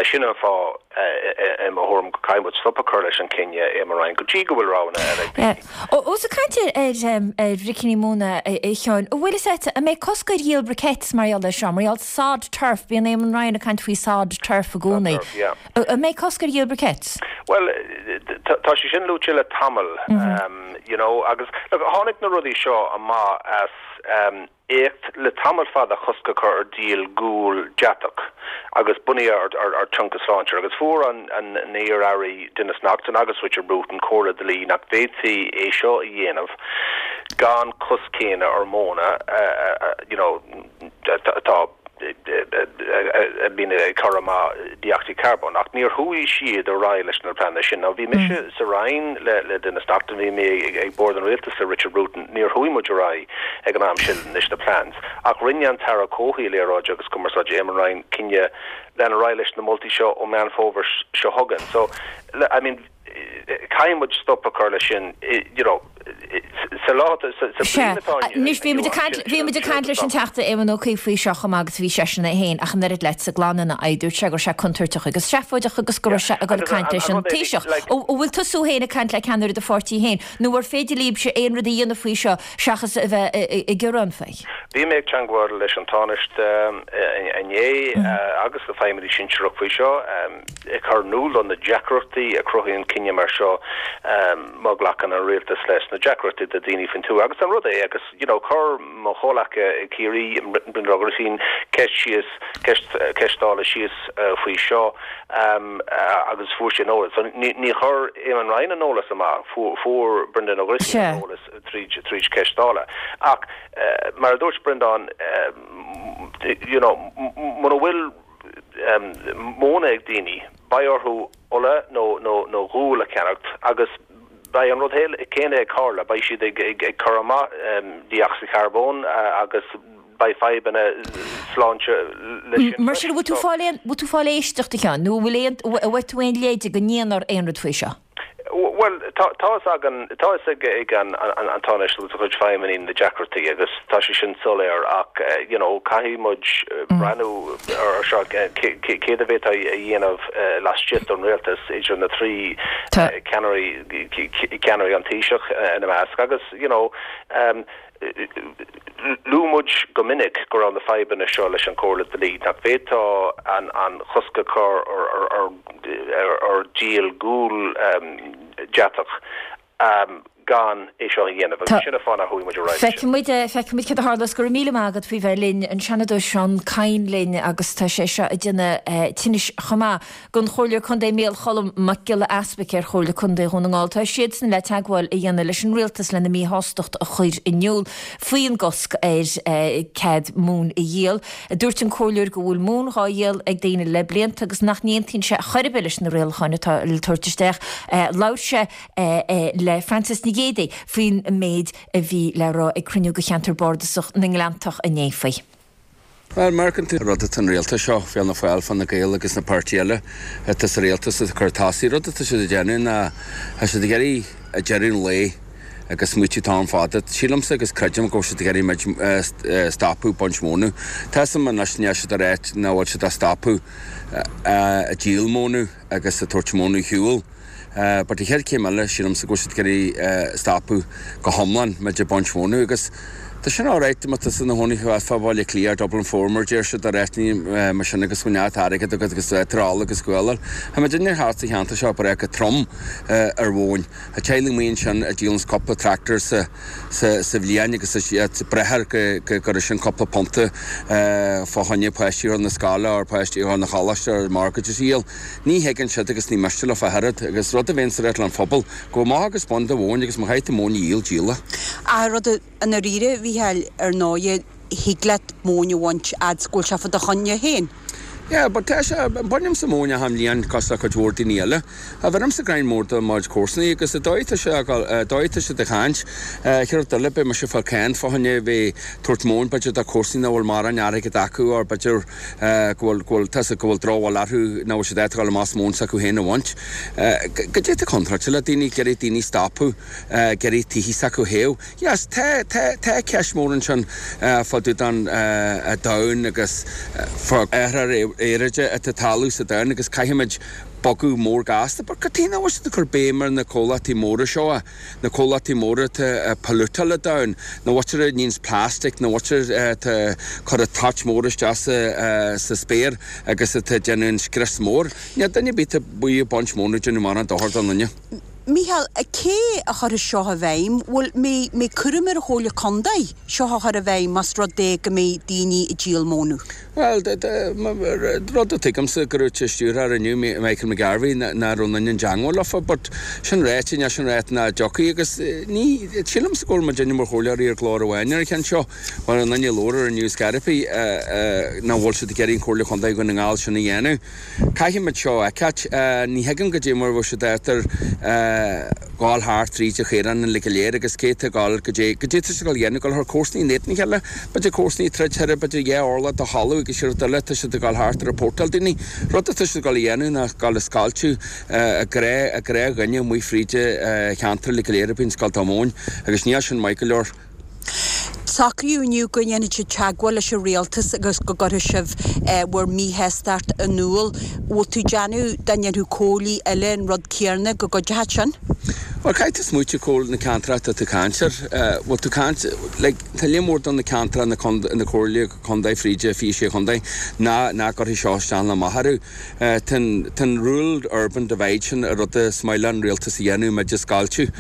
S8: Sin an fáth i mo thuairim go gcaithfidh muid stop a chur leis an cinneadh Eamon Ryan go dtí go bhfuil roghanna eile ag daoine.
S1: Ós ag caint ar ar bhricíní móna a Sheáin, an bhfuil fhios agat an mbeidh cosc ar dhíol briquettes mar gheall air seo, mar gheall sod turf, bíonn Eamon Ryan ag caint faoi sod turf i gcónaí. An mbeidh cosc ar dhíol briquettes?
S8: Well, tá sé sin luaite le tamall, um, you know, agus look, tháinig na rudaí seo amach as um, éacht le tamall fada cosc a chur ar díol gual deatach agus bunaithe ar, ar, ar tionchar sláinte agus fuair an, an iar-aire Denis Naughten agus Richard Bruton comhairle dlí nach bhféadfaí é seo a dhéanamh gan cosc céanna ar móna uh, uh, you know, tá a bhíonn ag cur amach dé-ocsaíd charbóin ach níor chuaigh siad ar aghaidh leis na pleananna sin. Now bhí mise mm. sa Roinn le le Denis Naughten bhí mé ag, ag bord an rialtais le Richard Bruton níor chuaigh muid ar aghaidh ag an am sin leis na plans. Ach rinne an tAire Comhshaoil Aeráide agus Cumarsáide Eamon Ryan cinneadh lean ar aghaidh leis na moltaí seo ó Meán Fómhair seo chugainn. So I mean caithfidh muid stop a chur leis sin you know sa lá sa bliain atá
S1: Anois bhí muid ag caint leis an Teachta Éamon Ó Cuív faoi seo chomh maith agus bhí seisean é féin ach an oiread leat sa gclann ina aghaidh dúirt sé go raibh sé contúirteach agus seafóideach agus go raibh sé ag dul ag caint leis an Taoiseach. An bhfuil tusa féin ag caint le ceannaire do pháirtí féin nó ar féidir libhse aon rud a dhéanamh faoi seo seachas a bheith ag gearán faoi?
S8: Bhí mé ag teagmháil leis an Tánaiste inné agus le feidhmeannaigh sinsearach faoi seo ag cur in iúl do na deacrachtaí a chruthaíonn cinneadh mar seo má ghlacann an rialtas leis na deacrachtaí do daoine faoin tuath agus an rud é agus you know chuir mo chomhghleacaí i Ciarraí Brendan Ó Grifín ceist síos ceist ceist Dála síos uh, faoi seo um, uh, agus fuair sé an eolas. So ní, ní chuir Eamon Ryan an eolas amach fuair, fuair Brendan Ó Grifín an eolas tríd tríd ceist Dála. Ach uh, mar a dúirt Brendan uh, you know, muna bhfuil um, móna ag daoine beidh orthu ola nó nó nó gual a cheannacht agus beidh an rud céanna ag tarlú beidh siad ag ag ag cur amach um, dé-ocsaíd charbóin uh, agus beidh fadhbanna sláinte leis sin.
S1: Mar sin bhfuil tú fáil aon bhfuil tú fáil éisteacht a Sheáin nó bhfuil aon bhfuil tú aon leide go ndéanfar aon rud faoi seo?
S8: Well tá agan tá ag ag an an an Tánaiste agus a chuid feidhmeannaigh na deacrachtaí agus tá sé sin soiléir ach you know caithfidh muid breathnú ar seo céard a bheith a dhéanamh laistigh den rialtas idir na trí ceannairí ceannairí an Taoiseach ina measc agus you know um, luaigh muid go minic go raibh na fadhbanna seo leis an chomhairle dlí nach bhféadfá an an cosc a chur ar ar ar ar, ar díol gual um, deatach um, gan é seo a dhéanamh agus sin an fáth a chuaigh muid ar aghaidh.
S1: Feicfimid feicfimid céard a tharlós go raibh míle maith agat faoi bheith linn an Seanadóir Seán Kyne linn agus tá sé seo ag déanamh tinnis chomh maith don Chomhairleoir Contae Mícheál Cholm Mac Giolla Easpaig ar Chomhairle Contae Dhún na nGall. Tá siadsan le teagmháil a dhéanamh leis an rialtas lena míshástacht a chur in iúl faoin gcosc ar cead móin a dhíol. Dúirt an comhairleoir go bhfuil móin dhá dhíol ag daoine le blianta agus nach n-aontaíonn sé chor ar bith leis na rialacháin atá le tabhairt isteach. Labhair sé le Frances Ní Ghéidigh faoin méid a bhí le rá ag cruinniú de cheantar bardasach na nGleanntach inné faoi.
S9: Bhuel, má amharcann tú rud atá an rialtas seo, Fianna Fáil, Fine Gael agus na páirtí eile atá sa rialtas ag cur tosaigh, rud atá siad ag déanamh ná tá siad ag iarraidh ag deireadh an lae agus smaoitiú t-am fada. Sílimse agus creidim go bhfuil siad ag iarraidh muid stopadh baint mónadh. Tá 'fhios a'm anois níl siad ag ráit nach bhfuil siad ag stopadh ag díol mónadh agus ag tabhairt mónadh ar shiúl. But an chéad chéim eile, sílimse go bhfuil siad ag iarraidh stopadh go hiomlán muid ag baint mónadh agus tá sin alright má tá tusa ina chónaí fá Bhaile Átha Cliath or Dublin Four mar deir siad ar áiteanna mar sin agus go bhfuil neart airgead agat agus tú ag ól agus guáil. Tá muid inár thart sa cheantar seo breá go trom ar mhóin. Tá teaghlaigh amuigh ansin a dhíolanns cúpla tractor sa sa bhliain agus is iad breithe go go gcuirfidh sin cúpla punta fá choinne páistí a chur na scoile or páistí a chur na choláiste or mortgages a dhíol. Ní thuigeann siad agus ní miste leo ach oiread agus rud a bhíonns ag rith le an phobal, gabh amach agus bain do mhóin agus má chaithfidh tú móin a dhíol, díol í.
S10: Ach rud i ndáiríre, a Mhícheáil, ar ndóighe, thig leat móin a bhaint fhad 's go bhfuil sé fá do choinne féin.
S9: Yeah, but tá sé, bainimse móin achan bhliain cosúil le cuid mhór daoine eile. Ach bheirimse greim mór do mo chuid comharsanaí agus an dóigh atá sé ag dul, an dóigh atá siad ag caint, chéad rud eile, beidh mise ag fáil cáin fá choinne bheith tabhairt móin b'fhéidir do comharsanaí nach bhfuil mórán airgead acu or b'fhéidir go bhfuil, go bhfuil, tá 'fhios a'd, go bhfuil drochbhail orthu nach bhfuil siad ábalta dul amach is móin s'acu féin a bhaint. Goidé atá contráilte le daoine, ag iarraidh daoine stopadh, ag iarraidh tithe s'acu a théamh. Yes, tá, tá, tá ceist mór ansin fá dtaobh den domhan agus fá athrú aeráide atá ag tarlú sa domhan agus caithfimid bogadh mór gasta. But cad chuige nach bhfuil siad ag cur béim ar na comhlachtaí móra seo, na comhlachtaí móra atá ag pollutáil an domhan, na mhuintir a níonns plastic, na mhuintir atá ag cur an toit mór isteach sa, sa spéir agus atá ag déanamh an scrios mór. Níl duine ar bith atá amuigh ag baint móna ag déanamh mórán dochar don duine.
S10: Mícheál, cé a chuirfidh seo i bhfeidhm? Bhfuil, mbeidh, mbeidh cúram ar an Chomhairle Contae seo a chur i bhfeidhm más rud é go mbeidh daoine ag díol mónadh?
S9: Bhuel, rud a tuigimse go raibh an stiúrthóir inniu, Michael McGarvey, nach raibh aon duine i dteangmháil leofa, but sin ráite, níl sin ráite nach dtiocfaidh agus ní, sílimse go bhfuil muidinne mar chomhairleoirí ar ghlór amháin ar an cheann seo, mar an duine a labhair ar an News Scairpí, nach bhfuil siad ag iarraidh an Chomhairle Chontae Dhún na nGall sin a dhéanamh. Caithfimid seo a fheiceáilt. Ní thuigim goidé mar a bheadh siad ábalta gabháil thart tríd an chaorán uilig go léir agus cé atá ag gabháil goidé goidé atá siad ag gabháil a dhéanamh, gabháil thar comharsanaí in éadan a chéile, b'fhéidir comharsanaí ag troid thoir, b'fhéidir dhá orlach de thalamh agus rud eile tá siad ag gabháil thart ag reportáil daoine. Rud atá siad ag gabháil a dhéanamh ná gabháil a scoilteadh a gnáth a gnáthdhuine amuigh fríd an cheantar uilig go léir a bhíonns ag gabháil dá móin agus níl sin maith go leor.
S10: Socraíodh inniu go ndéanfaidh sibh teagmháil leis an rialtas agus go gcuirfidh sibh bhur míshástacht in iúl. Bhfuil tú ag déanamh dá ndéanfadh comhairlí eile an rud céanna go gcuideochadh sin?
S9: Bhuel, caithfidh tú smaoitiú cá bhfuil na ceantracha atá tú ag caint air. Bhfuil tú ag caint, like, tá líon mór de na ceantracha na na comhairle contae fríd an fiche sé chontae ná nach gcuirfidh seo isteach ná amach orthu. Tá an tá an rural urban divide sin an rud is maith le an rialtas a dhéanamh muid a scoilteadh.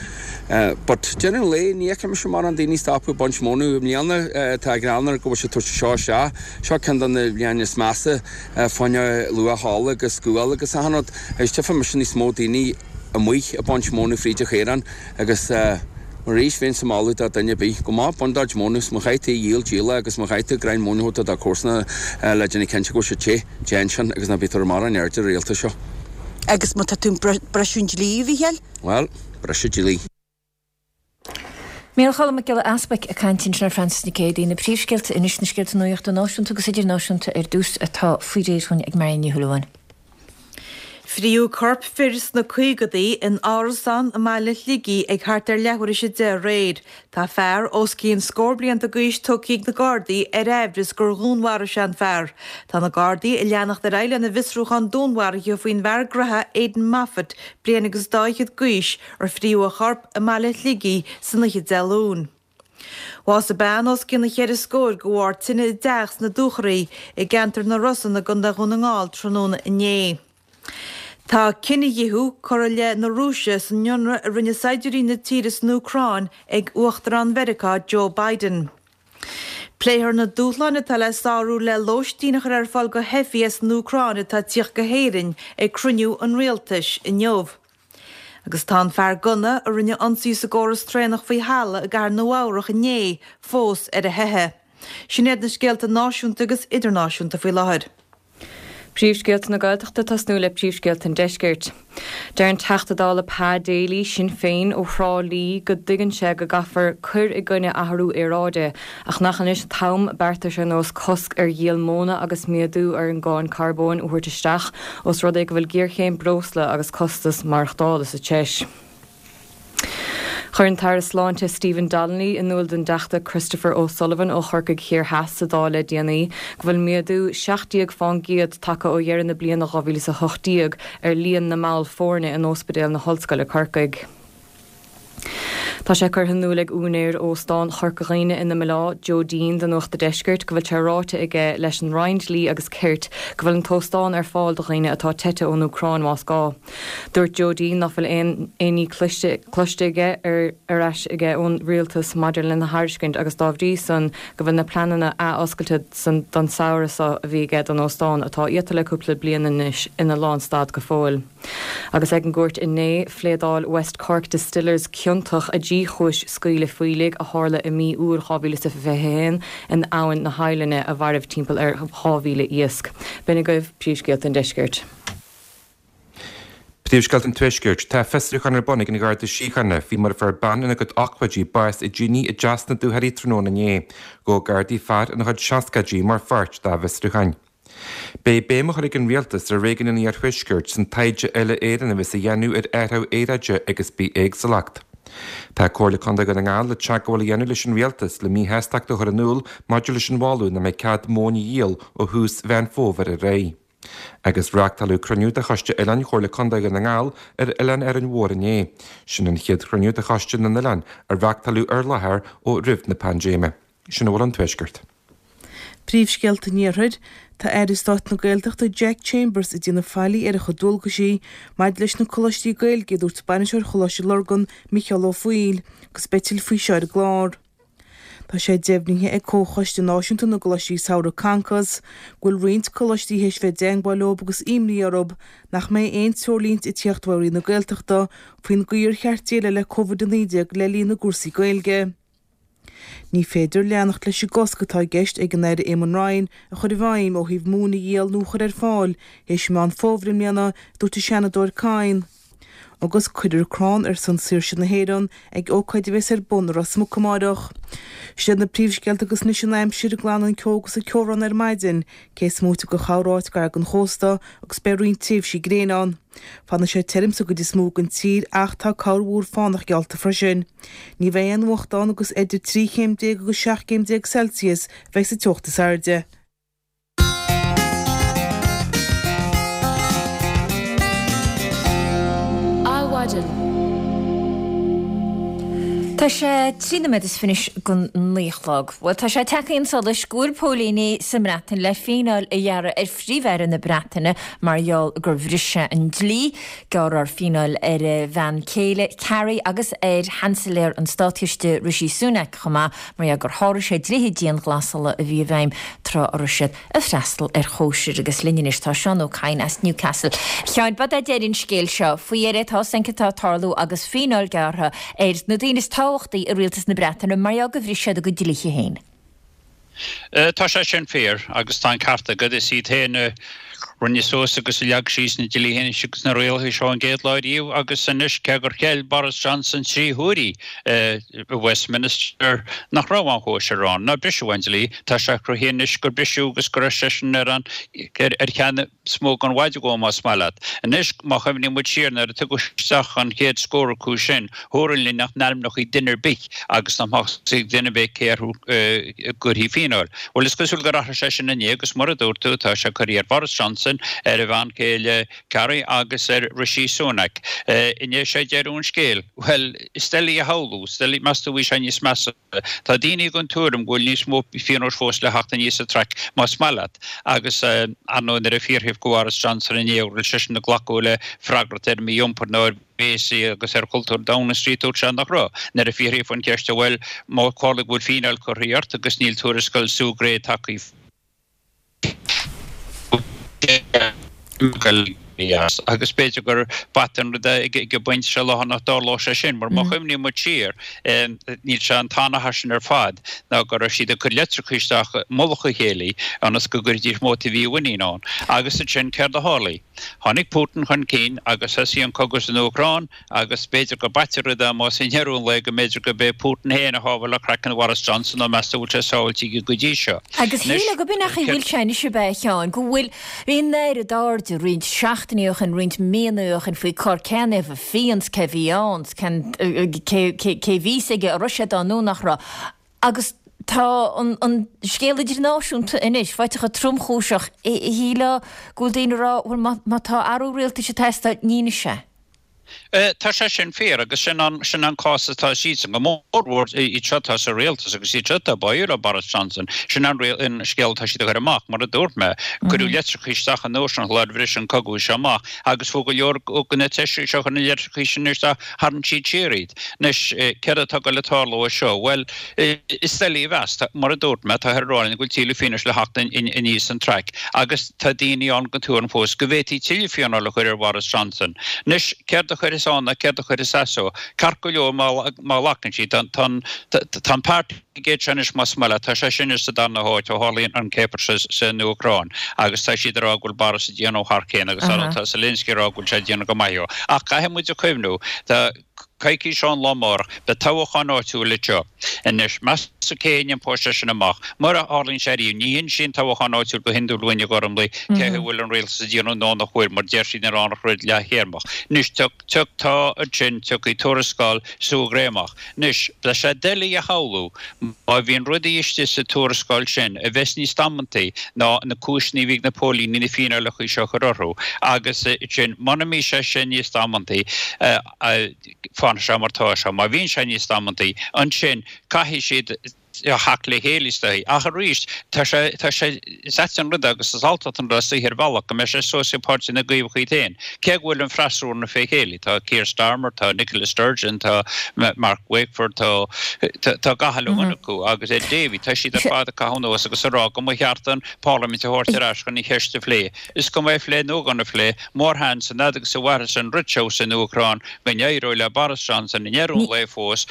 S9: But deireadh an lae ní fheiceann mise mórán daoine stopadh ag baint mónadh i mbliana. Tá geall air go bhfuil siad tabhairt seo isteach. Seo ceann de na bliana is measa fá choinne luach ola agus gual agus achan rud. Agus tchífidh mise níos mó daoine amuigh ag baint mónadh fríd an chaorán agus arís bheinnse ag moladh do dhuine ar bith gabh amach bain do chuid mónadh 's má chaithfidh tú í a dhíol díol í agus má chaithfidh tú greim móna a thabhairt do do chomharsana le déanamh cinnte go bhfuil siad te, déan sin agus ná bí ag tabhairt mórán airde ar an rialtas seo.
S10: Agus má tá tú ag briseadh an dlí, a Mhícheáil?
S9: Bhuel, briseadh dlí.
S1: Micheál Choilm Mac Giolla Easbuic ag caint ansin ar Frances Nic Géadaigh. Na príomhscéalta anois, na scéalta nuachta náisiúnta agus idirnáisiúnta ar dtús atá faoi réir dhúinn ag Marion Ní Shúilleabháin.
S2: Fríodh corp fir sna caogadaí in árasán i mbaile Shligigh ag thart ar leathuair tar éis a deich aréir. Tá fear os cionn scór blianta d'aois tugtha ag na Gardaí ar aimhreas gur dhúnmharaigh sé an fear. Tá na Gardaí ag leanacht ar aghaidh lena bhfiosrúchán dúnmharaithe faoin bhfear graithe Aidan Moffat, bliain agus dá fhichead d'aois, ar fríodh a chorp i mbaile Shligigh san oíche Dé Luain. Bhásaigh bean os cionn an cheithre scóir de bharr tine i dteach sna Dúchoraidh i gceantar na Rosann i gContae Dhún na nGall tráthnóna inné. Tá cinedhíothú curtha i leith na Rúise san ionradh a rinne saighdiúirí na tíre san Úcráin ag Uachtarán Mheiriceá Joe Biden. Pléifear na dúshláin atá le sárú le lóistín a chur ar fáil do theifigh as an Úcráin atá ag tíocht go hÉirinn ag cruinniú an Rialtais inniu. Agus tá an fear gunna a rinne ionsaí sa gcóras traenach faoi thalamh i gcathair Nua-Eabhrac inné fós ar a theitheadh. Sin iad na scéalta náisiúnta agus idirnáisiúnta faoi láthair.
S3: Príomhscéalta na Gaeltachta tosnú le príomhscéalta an Deiscirt. Deir an Teachta Dála Pa Daly, Sinn Féin, ó Thrá Lí go dtuigeann sé go gcaithfear cur i gcoinne athrú aeráide, ach nach anois an t-am beartais ar nós cosc ar dhíol móna agus méadú ar an gcáin carbóin a thabhairt isteach os rud é go bhfuil géarchéim breosla agus costas maireachtála sa treis. Chuir an tAire Sláinte Stephen Donnelly in iúl don dTeachta Christopher O'Sullivan ó Chorcaigh Thiar Theas sa Dáil le déanaí go bhfuil méadú seacht déag fán gcéad tagtha ó dheireadh na bliana dhá mhíle is a hocht déag ar líon na mball foirne in Ospidéal na hOllscoile Corcaigh. Tá sé curtha in iúl ag úinéir Óstán Chorca Dhuibhne ina mBaile, Joe Deane do Nuacht a' Deiscirt go bhfuil sé ráite aige leis an Roinn Dlí agus Cirt go bhfuil an t-óstán ar fáil do dhaoine atá teite ón Úcráin más gá. Dúirt Joe Deane nach bhfuil aon aon ní cloiste cloiste aige ar ar ais aige ón Rialtas maidir lena thairiscint agus dá bhrí san go bhfuil na pleananna ath-oscailte san don samhradh seo a bhí aige don óstán atá iata le cúpla bliain anois ina lánstad go fóill. Agus ag an gcúirt inné, phléadáil West Cork Distillers ciontach i dtrí chúis scaoileadh fuílligh a tharla i mí Iúil dhá mhíle is a fiche a haon in Abhainn na hOidhlinne a mhairbh timpeall ar dhá mhíle iasc. B'in agaibh príomhscéalta an deiscirt.
S4: Príomhscéalta an Tuaiscirt. Tá fiosrúchán ar bun ag an Gharda Síochána faoi mar a fuair bean ina cuid ochtóidí bás i dtine i dTeas na Dúchoraidhe tráthnóna inné. Gabhadh Gardaí fear ina chuid seascaidí mar pháirt dá bhfiosrúcháin. Beidh béim á chur ag an Rialtas ar réigiún an Iarthuaiscirt san taighde uile-Éireann a bheas á dhéanamh ar athrú aeráide agus bithéagsúlacht. Tá Comhairle Contae Dhún na nGall le teagmháil a dhéanamh leis an Rialtas le míshástacht a chur in iúl maidir leis an mholadh nach mbeidh cead móin a dhíol ó thús Mheán Fómhair ar aghaidh. Agus reáchtáladh cruinniú de Choiste Oileáin Chomhairle Contae Dhún na nGall ar Oileán Árainn Mhór inné. Sin an chéad chruinniú de Choiste na nOileán a reáchtáladh ar láthair ó roimh na paindéime. Sin a bhfuil ón Tuaisceart.
S5: Príomhscéalta an Iarthair, Tá Aire Stáit na Gaeltachta Jack Chambers ag déanamh faillí ar a chuid dualgaisí maidir leis na coláistí Gaeilge, a dúirt Bainisteoir Choláiste Lurgan, Micheál Ó Foighil, agus beidh tuilleadh faoi seo ar an gclár. Tá sé deimhnithe ag Comhchoiste Náisiúnta na gColáistí Samhraidh, Concos, go bhfuil roinnt coláistí théis bheith i dteangmháil leo agus imní orthu nach mbeidh aon treoirlínte ag tíocht ó Roinn na Gaeltachta faoin gcaoi ar cheart déileáil le Covid a naoi déag le linn na gcúrsaí Gaeilge. Ní féidir leanacht leis an gcosc atá i gceist ag an Aire Eamon Ryan a chur i bhfeidhm ó thaobh móin a dhíol nó a chur ar fáil théis Meán Fómhair i mbliana, a dúirt an Seanadóir Kyne. Agus cuirfear crann ar son saoirse na hÉireann ag ócáid a bheas ar bun i Ros Muc amáireach. Sin iad na príomhscéalta agus anois an aimsir, glanfaidh an ceo agus an ceobhrán ar maidin, cé is móite de chorráit gar don chósta agus beidh roinnt tréimhsí gréine ann. Fanfaidh sé tirim sa gcuid is mó den tír ach tá corrmhúr fánach geallta freisin. Ní bheidh aon fhuacht ann agus idir trí chéim déag agus seacht gcéim déag Celsius a bheidh sa teocht is airde.
S1: Adhmhaidin. Tá sé trí nóiméad is fiche don naoi a chlog. Bhuel, tá sé tagtha chun solais go bhfuil póilíní sa mBreatain le fíneáil a ghearradh ar Phríomh-Aire na Breataine mar gheall gur bhris sé an dlí. Gearrfar fíneáil ar a bhean chéile, Carrie, agus ar Sheansailéir an Státchiste, Rishi Sunak, chomh maith, mar gheall gur sháraigh sé dlíthe dianghlasála a bhí i bhfeidhm tráth a raibh siad ag freastal ar chóisir. Agus linn anois tá Seán Ó Cadhain as Newcastle. A Sheáin, b'fhéidir deireadh an scéil seo faoi dheireadh, tá san atá ag tarlú agus fíneáil gearrtha ar na daoine is tábhachtaí i rialtas na Breataine mar gheall gur bhris siad a gcuid dlíthe féin.
S11: Tá sé sin fíor agus tá an ceart agat. Is iad féin a rinne suas agus a leag síos na dlíthe anois agus na rialacha seo an gcéad lá riamh agus anois cé gur cheil Boris Johnson trí huaire i Westminster nach raibh aon chóisir ann, nár briseadh aon dlí, tá sé cruthaithe anois gur briseadh agus go raibh seisean ar an ar cheann is mó den mhaide dhó más maith leat. Anois má chuimhníonn muid siar nuair a tugadh isteach an chéad scór acu sin, dúradh linn nach n-ainmneofaí duine ar bith agus nach mbeadh a fhios ag duine ar bith cé orthu a gcuirfí fíneáil. Bhuel, is cosúil gur athraigh sé sin inné agus mar a dúirt tú, tá sé curtha ar Boris Johnson, ar a bhean chéile Carrie agus ar Rishi Sunak. Inné sé deireadh an scéil. Bhuel, is doiligh a shamhlú, is doiligh, meas tú bhí sé níos measa. Tá daoine den tuairim go bhfuil níos mó pionóis fós le theacht aníos an traic, más maith leat. Agus ar ndóigh nuair a fiafraíodh de Bhoris Johnson inné an raibh seisean ag glacadh le freagracht ar mhí-iompar nó ar bhéasaí agus ar chultúr Downing Street, dúirt sé nach raibh. Nuair a fiafraíodh an cheist, bhuel, má tharla go bhfuil fíneáil curtha ort agus níl tuarascáil Sue Gray tagtha éirí as agus b'fhéidir gur b'ait an rud é ag an bpointe seo lá nach dtarlódh sé sin mar má chuimhníonn muid siar níl sé an t-anathar sin ar fad ná go raibh siad ag cur litreacha isteach i mullach a chéile ionas go gcuirfidís móta a mhímhuiníne ann. Agus ansin céard a tharlaigh? Tháinig Putin chun cinn agus thosaigh an cogadh san Úcráin agus b'fhéidir gur b'ait an rud é más i ndeireadh an lae go mb'fhéidir gurb é Putin féin a shábháil craiceann Bhoris Johnson nó meas tú bhfuil sé sábháilte aige go dtí seo.
S1: Agus shílfeá go b'in é an chaoi a bhfuil sé anois ab ea a Sheáin, go bhfuil, bhí an oiread airde roinnt seachtainí ó shin, roinnt míonna ó shin faoi cár cén taobh a phian 's cé bhí ann 's cén cé cé bhí 's aige an raibh sé ann nó nach raibh. Agus tá an an scéal idirnáisiúnta anois faighte chomh tromchúiseach, shílfeá go bhfuil daoine ag rá bhuel má má tá athrú rialtais ag teastáil, ní anois é.
S11: Tá sé sin fíor agus sin an sin an cás atá siadsan, go mórmhór iad seo atá sa rialtas agus iad seo atá báúil le Boris Johnson. Sin an an scéal atá siad a chur amach, mar a dúirt mé. Cuireadh litreacha isteach an uair sin sular bhris an cogadh seo amach agus fuair go leor de na taoisigh seo a chuir na litreacha sin isteach, tharraing siad siar iad. Anois, céard atá ag dul a tarlú anseo? Bhuel, is doiligh a mheas. Mar a dúirt mé, táthar ag rá linn go bhfuil tuilleadh fianaise le theacht aníos an traic agus tá daoine ann den tuairim fós go bhféadfaí tuilleadh fíneáil a chur ar Bhoris Johnson. Anois, céard a chuirfeas ann ná céard a chuirfeas as dó? Ceart go leor má ghlacann siad, tá an Partygate seo anois más maith leat, tá sé sin sa darna háit ó tharlaíonn an céapar san Úcráin agus tá siad ag rá go bhfuil Boris ag déanamh thar cionn agus tá Zelensky ag rá go bhfuil sé ag déanamh go maith. Ach caithfidh muid a chuimhniú, tá coicís ón lá amárach, beidh toghchán áitiúil anseo. Anois, meas tú cé a iompóidh sé sin amach? Mura tharlaíonn sé ariamh, ní hinsíonn toghchán áitiúil go hiondúil dúinn a Ghormlaí cé a bhfuil an rialtas ag déanamh nó nach bhfuil, mar deir siad an rud leath-théarmach. Anois, tá ansin, tiocfaidh tuarascáil Sue Gray amach. Anois, beidh sé doiligh a shamhlú má bhíonn rudaí istigh sa tuarascáil sin a bheas níos damantaí ná na cúiseanna a bhí ag na póilíní na fíneálacha seo a chur orthu agus ansin muna mbíonn sé sin níos damantaí, fanfaidh sé mar tá sé. Má bhíonn sé níos damantaí, ansin caithfidh siad theacht le chéile is dóigh. Ach arís, tá sé, tá sé, is ait an rud é agus is alltacht an rud é is dóigh ar bhealach go mbeidh sé suas ag páirtí na gCaomhach iad féin. Cé go bhfuil an freasúra fé chéile, tá Keir Starmer, tá Nicola Sturgeon, tá Mark Wakeford, tá, tá gach uile dhuine acu agus Ed Davey, tá siad ar fad ag caitheamh anuas agus ag rá go mba cheart an Pharlaimint a thabhairt ar ais chun an cheist a phlé. Is cuma é a phlé nó gan a phlé, mórsheans an fhad agus a mhairfeas an rud seo san Úcráin go n-éireoidh le Boris Johnson i ndeireadh an lae fós,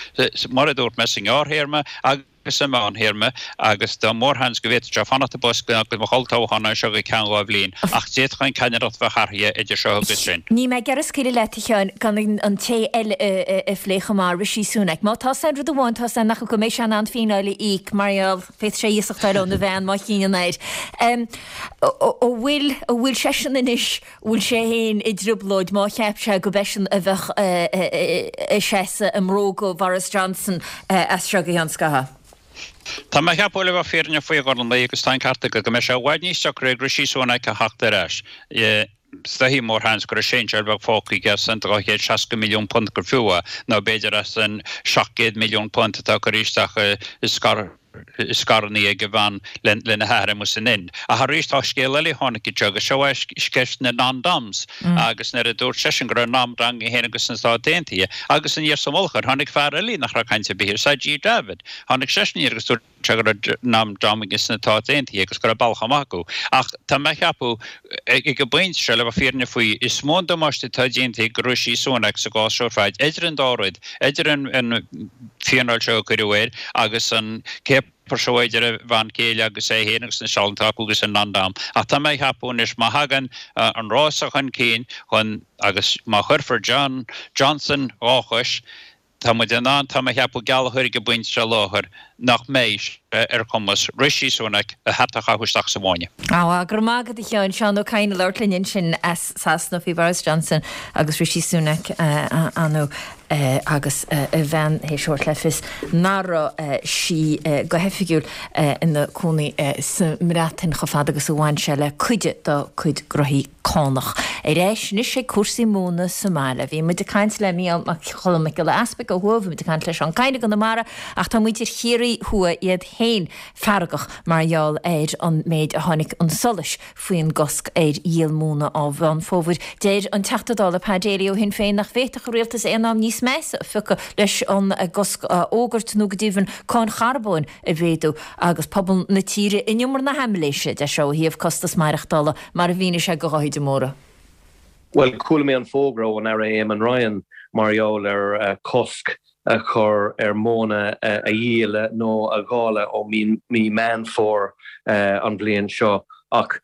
S11: mar a dúirt mé, sa ngearrthéarma agus sa mheánthéarma, agus tá mórsheans go bhféadfadh sé fanacht i bpost go mbeadh olltoghchán anseo go ceann dhá bhliain, ach d'fhéadfadh an ceannaireacht bheith athraithe idir seo agus sin.
S1: Níl mé ag iarraidh scaoileadh leat, a Sheáin, gan an té eile a phlé chomh maith, Rishi Sunak. Má tá 's a'inn rud amháin, tá 's a'inn nach go mbeidh sé in ann fíneáil a íoc, mar gheall, féadfaidh sé iasacht a fháil óna bhean má chinneann air. An bhfuil, an bhfuil seisean anois, an bhfuil sé féin i dtrioblóid má cheap sé go b'eisean a bheadh ag seasamh i mbróga Bhoris Johnson as seo go ceann scathaimh?
S11: Tá mé a cheapadh le bheith fírinneach faoi a Ghormlaí agus tá an ceart agat go mbeidh sé i bhfad níos deacra ag Rishi Sunak a theacht ar ais. Is dóichí mórsheans go raibh seinseáil bheag fágtha aige as an dhá chéad seasca milliún punt gur fiú é, nó b'fhéidir as an seacht gcéad milliún punt atá curtha isteach i scaireanna ag a bhean lena hathair amuigh san Ind. Ach arís tá scéal eile a tháinig anseo agus seo é ceist na non-doms agus nuair a dúirt seisean go raibh non-dom aige féin agus na Stáit Aontaithe agus aniar sa mhullach air tháinig fear eile nach raibh caint ar bith air, Sajid Javid. Tháinig seisean aniar agus dúirt sé go raibh non-dom aige sna Stáit Aontaithe agus go raibh bealach amach acu. Ach tá mé a cheapadh ag an bpointe seo, le bheith fírinneach faoi, is mó an damáiste atá déanta ag Rishi Sunak sa gcás seo ar fad, idir an dá rud, idir an fíneáil seo a cuireadh air agus an céapar seo idir a bhean chéile agus é féin agus na sealanna atá acu agus an non-dom. Ach tá mé a cheapadh anois má thagann an rása chun cinn chun agus má chuirfear John Johnson dhá chois, Tá muid in ann, tá mé a cheapadh, geall a chur ag an bpointe seo i láthair nach mbeidh sé ar chumas Rishi Sunak a hata a chaitheamh isteach sa bhfáinne.
S1: Á, go raibh maith agat a Sheáin. Seán Ó Cadhain ag labhairt linn ansin as Sasana faoi Boris Johnson agus Rishi Sunak anu agus a bhean théis thabhairt le fios nach raibh sí go hoifigiúil ina cónaí sa mBreatain chomh fada agus a bhain sé le cuid dá cuid gnóthaí cánach. Ar ais anois ag cúrsaí móna sa mbaile. Bhí muid ag caint le Mícheál Mac Cholm Mac Giolla Easpaig ó thuaidh, bhí muid ag caint le Seán Kyne i gConamara, ach tá muintir Chiarraí Thuaidh iad féin feargach mar gheall ar an méid a tháinig chun solais faoin gcosc ar dhíol móna ó Mheán Fómhair. Deir an Teachta Dála Pa Daly ó Shinn Féin nach bhféadfadh an rialtas aon am níos measa a phiocadh leis an gcosc a fhógairt nó go deimhin cáin charbóin a mhéadú agus pobal na tíre in iomar na haimiléise, deir sé, ó thaobh costas maireachtála, mar a mhínigh sé do Dháithí de Mórdha.
S12: Bhuel, chuala mé an fógra ón Aire Eamon Ryan mar gheall ar cosc a chur ar mhóin a dhíol nó a dháileadh ó mí Meán Fómhair an bhliain seo ach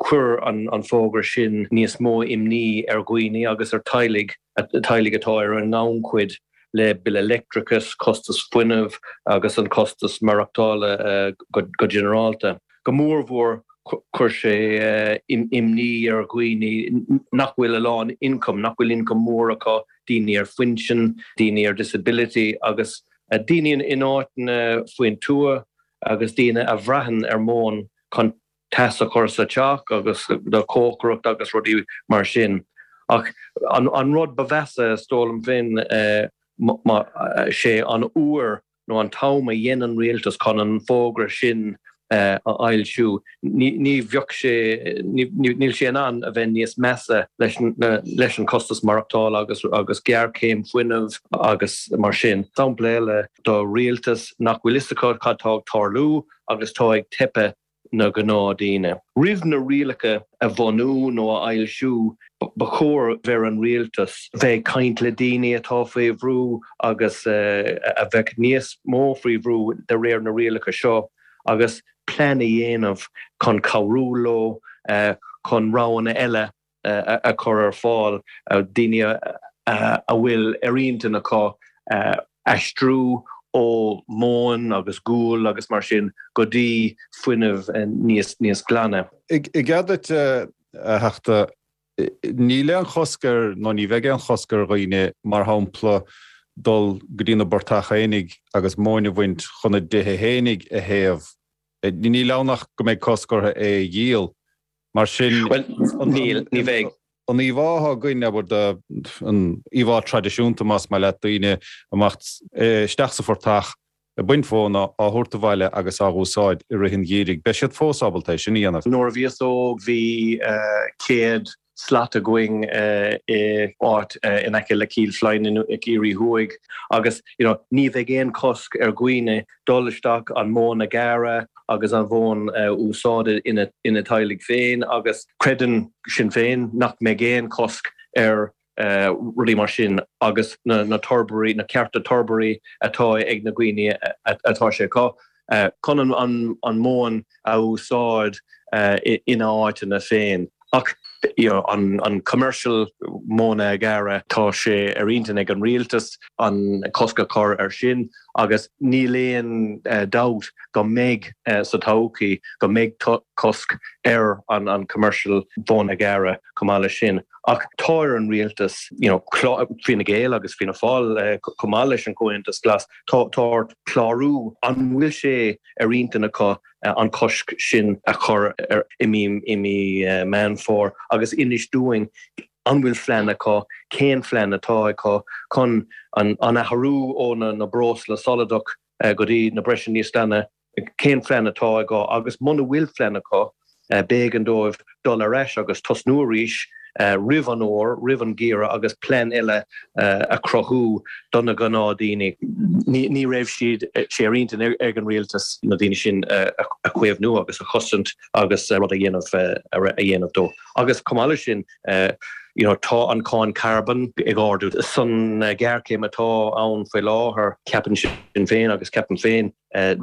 S12: chuir an fógra sin níos mó imní ar dhaoine agus ar teaghlaigh, teaghlaigh atá ar an ngannchuid le bille leictreachais, costas fuinnimh agus an costas maireachtála go ginearálta. Go mórmhór chuir sé imní ar dhaoine nach bhfuil a lán ioncam, nach bhfuil ioncam mór acu, daoine ar phinsean, daoine ar disability agus daoine in áiteanna faoin tuath agus daoine a bhraitheann ar mhóin chun teas a chur sa teach agus do chócaireacht agus rudaí mar sin. Ach an rud ba mheasa, is dóigh liom féin, sé an uair nó an t-am a dhein an rialtas chun an fógra sin a fhoilsiú. Ní bheadh sé, níl sé in ann a bheith níos measa leis leis an costas maireachtála agus agus géarchéim fuinnimh agus mar sin. Sampla eile do rialtas nach bhfuil fhios acu cad tá ag tarlú agus tá ag teipeadh na gnáthdhaoine. Roimh na rialacha a bhunú nó a fhoilsiú, ba chóir bheith ar an rialtas bheith ag caint le daoine atá faoi bhrú agus a bheadh níos mó faoi bhrú de réir na rialacha seo agus plean a dhéanamh chun cabhrú leo chun roghanna eile a chur ar fáil, daoine a bhfuil ar intinn acu aistriú ó mhóin agus gual agus mar sin go dtí fuinneamh níos níos glaine.
S13: I gcead duit, a Theachta, níl aon chosc ar, nó ní bheidh aon chosc ar dhaoine, mar shampla, dul go dtí na bportaigh fhéinig agus móin a bhaint chun a dtithe fhéinig a théamh. Níl ann ach go mbeidh cosc orthu é a dhíol. Mar sin,
S12: Bhuel, níl, ní bheidh.
S13: An íomhá atá againn, abair, de, an íomhá traidisiúnta, más maith leat, daoine amach isteach sa phortach ag baint mhóna, á thabhairt abhaile agus á úsáid i rith an gheimhridh, beidh siad fós ábalta é sin a dhéanamh.
S12: Nuair a bhíos óg bhí céad slat againn i áit in aice le Cill Floinn i gCiarraí Thuaidh agus you know ní bheidh aon chosc ar dhaoine dul isteach an mhóin a ghearradh agus an mhóin a úsáid ina ina teaghlaigh féin agus creideann Sinn Féin nach mbeidh aon chosc ar rudaí mar sin agus na na torbairí, na cearta torbairí atá ag na daoine atá sé acu chun an an mhóin a úsáid ina áiteanna féin. Ach you know an an commercial móin a ghearradh, tá sé ar intinn ag an rialtas an cosc a chur ar sin agus níl aon dabht go mbeidh sa todhchaí go mbeidh cosc ar an an commercial mhóin a ghearradh chomh maith leis sin. Ach tá ar an rialtas you know Fine Gael agus Fianna Fáil chomh maith leis an Comhaontas Glas, tá tá orthu clárú an bhfuil sé ar intinn acu an cosc sin a chur ar i mí i mí Meán Fómhair agus inis dúinn an bhfuil plean acu, cén plean atá acu chun an an athrú ó na na breosla soladach go dtí na breosla níos glaine, cén plean atá acu agus muna bhfuil plean acu b'éigean dóibh dul ar ais agus tosnú arís roimh an fhómhar, roimh an gheimhreadh agus plean eile a chruthú do na gnáthdaoine. Ní raibh siad sé ar intinn ag an rialtas na daoine sin a chaomhnú agus a chosaint agus rud a dhéanamh a dhéanamh dó. Agus chomh maith leis sin, you know, tá an cáin carbón ag ardú. San ghéarchéim atá ann faoi láthair, ceapann Sinn Féin agus ceapaim féin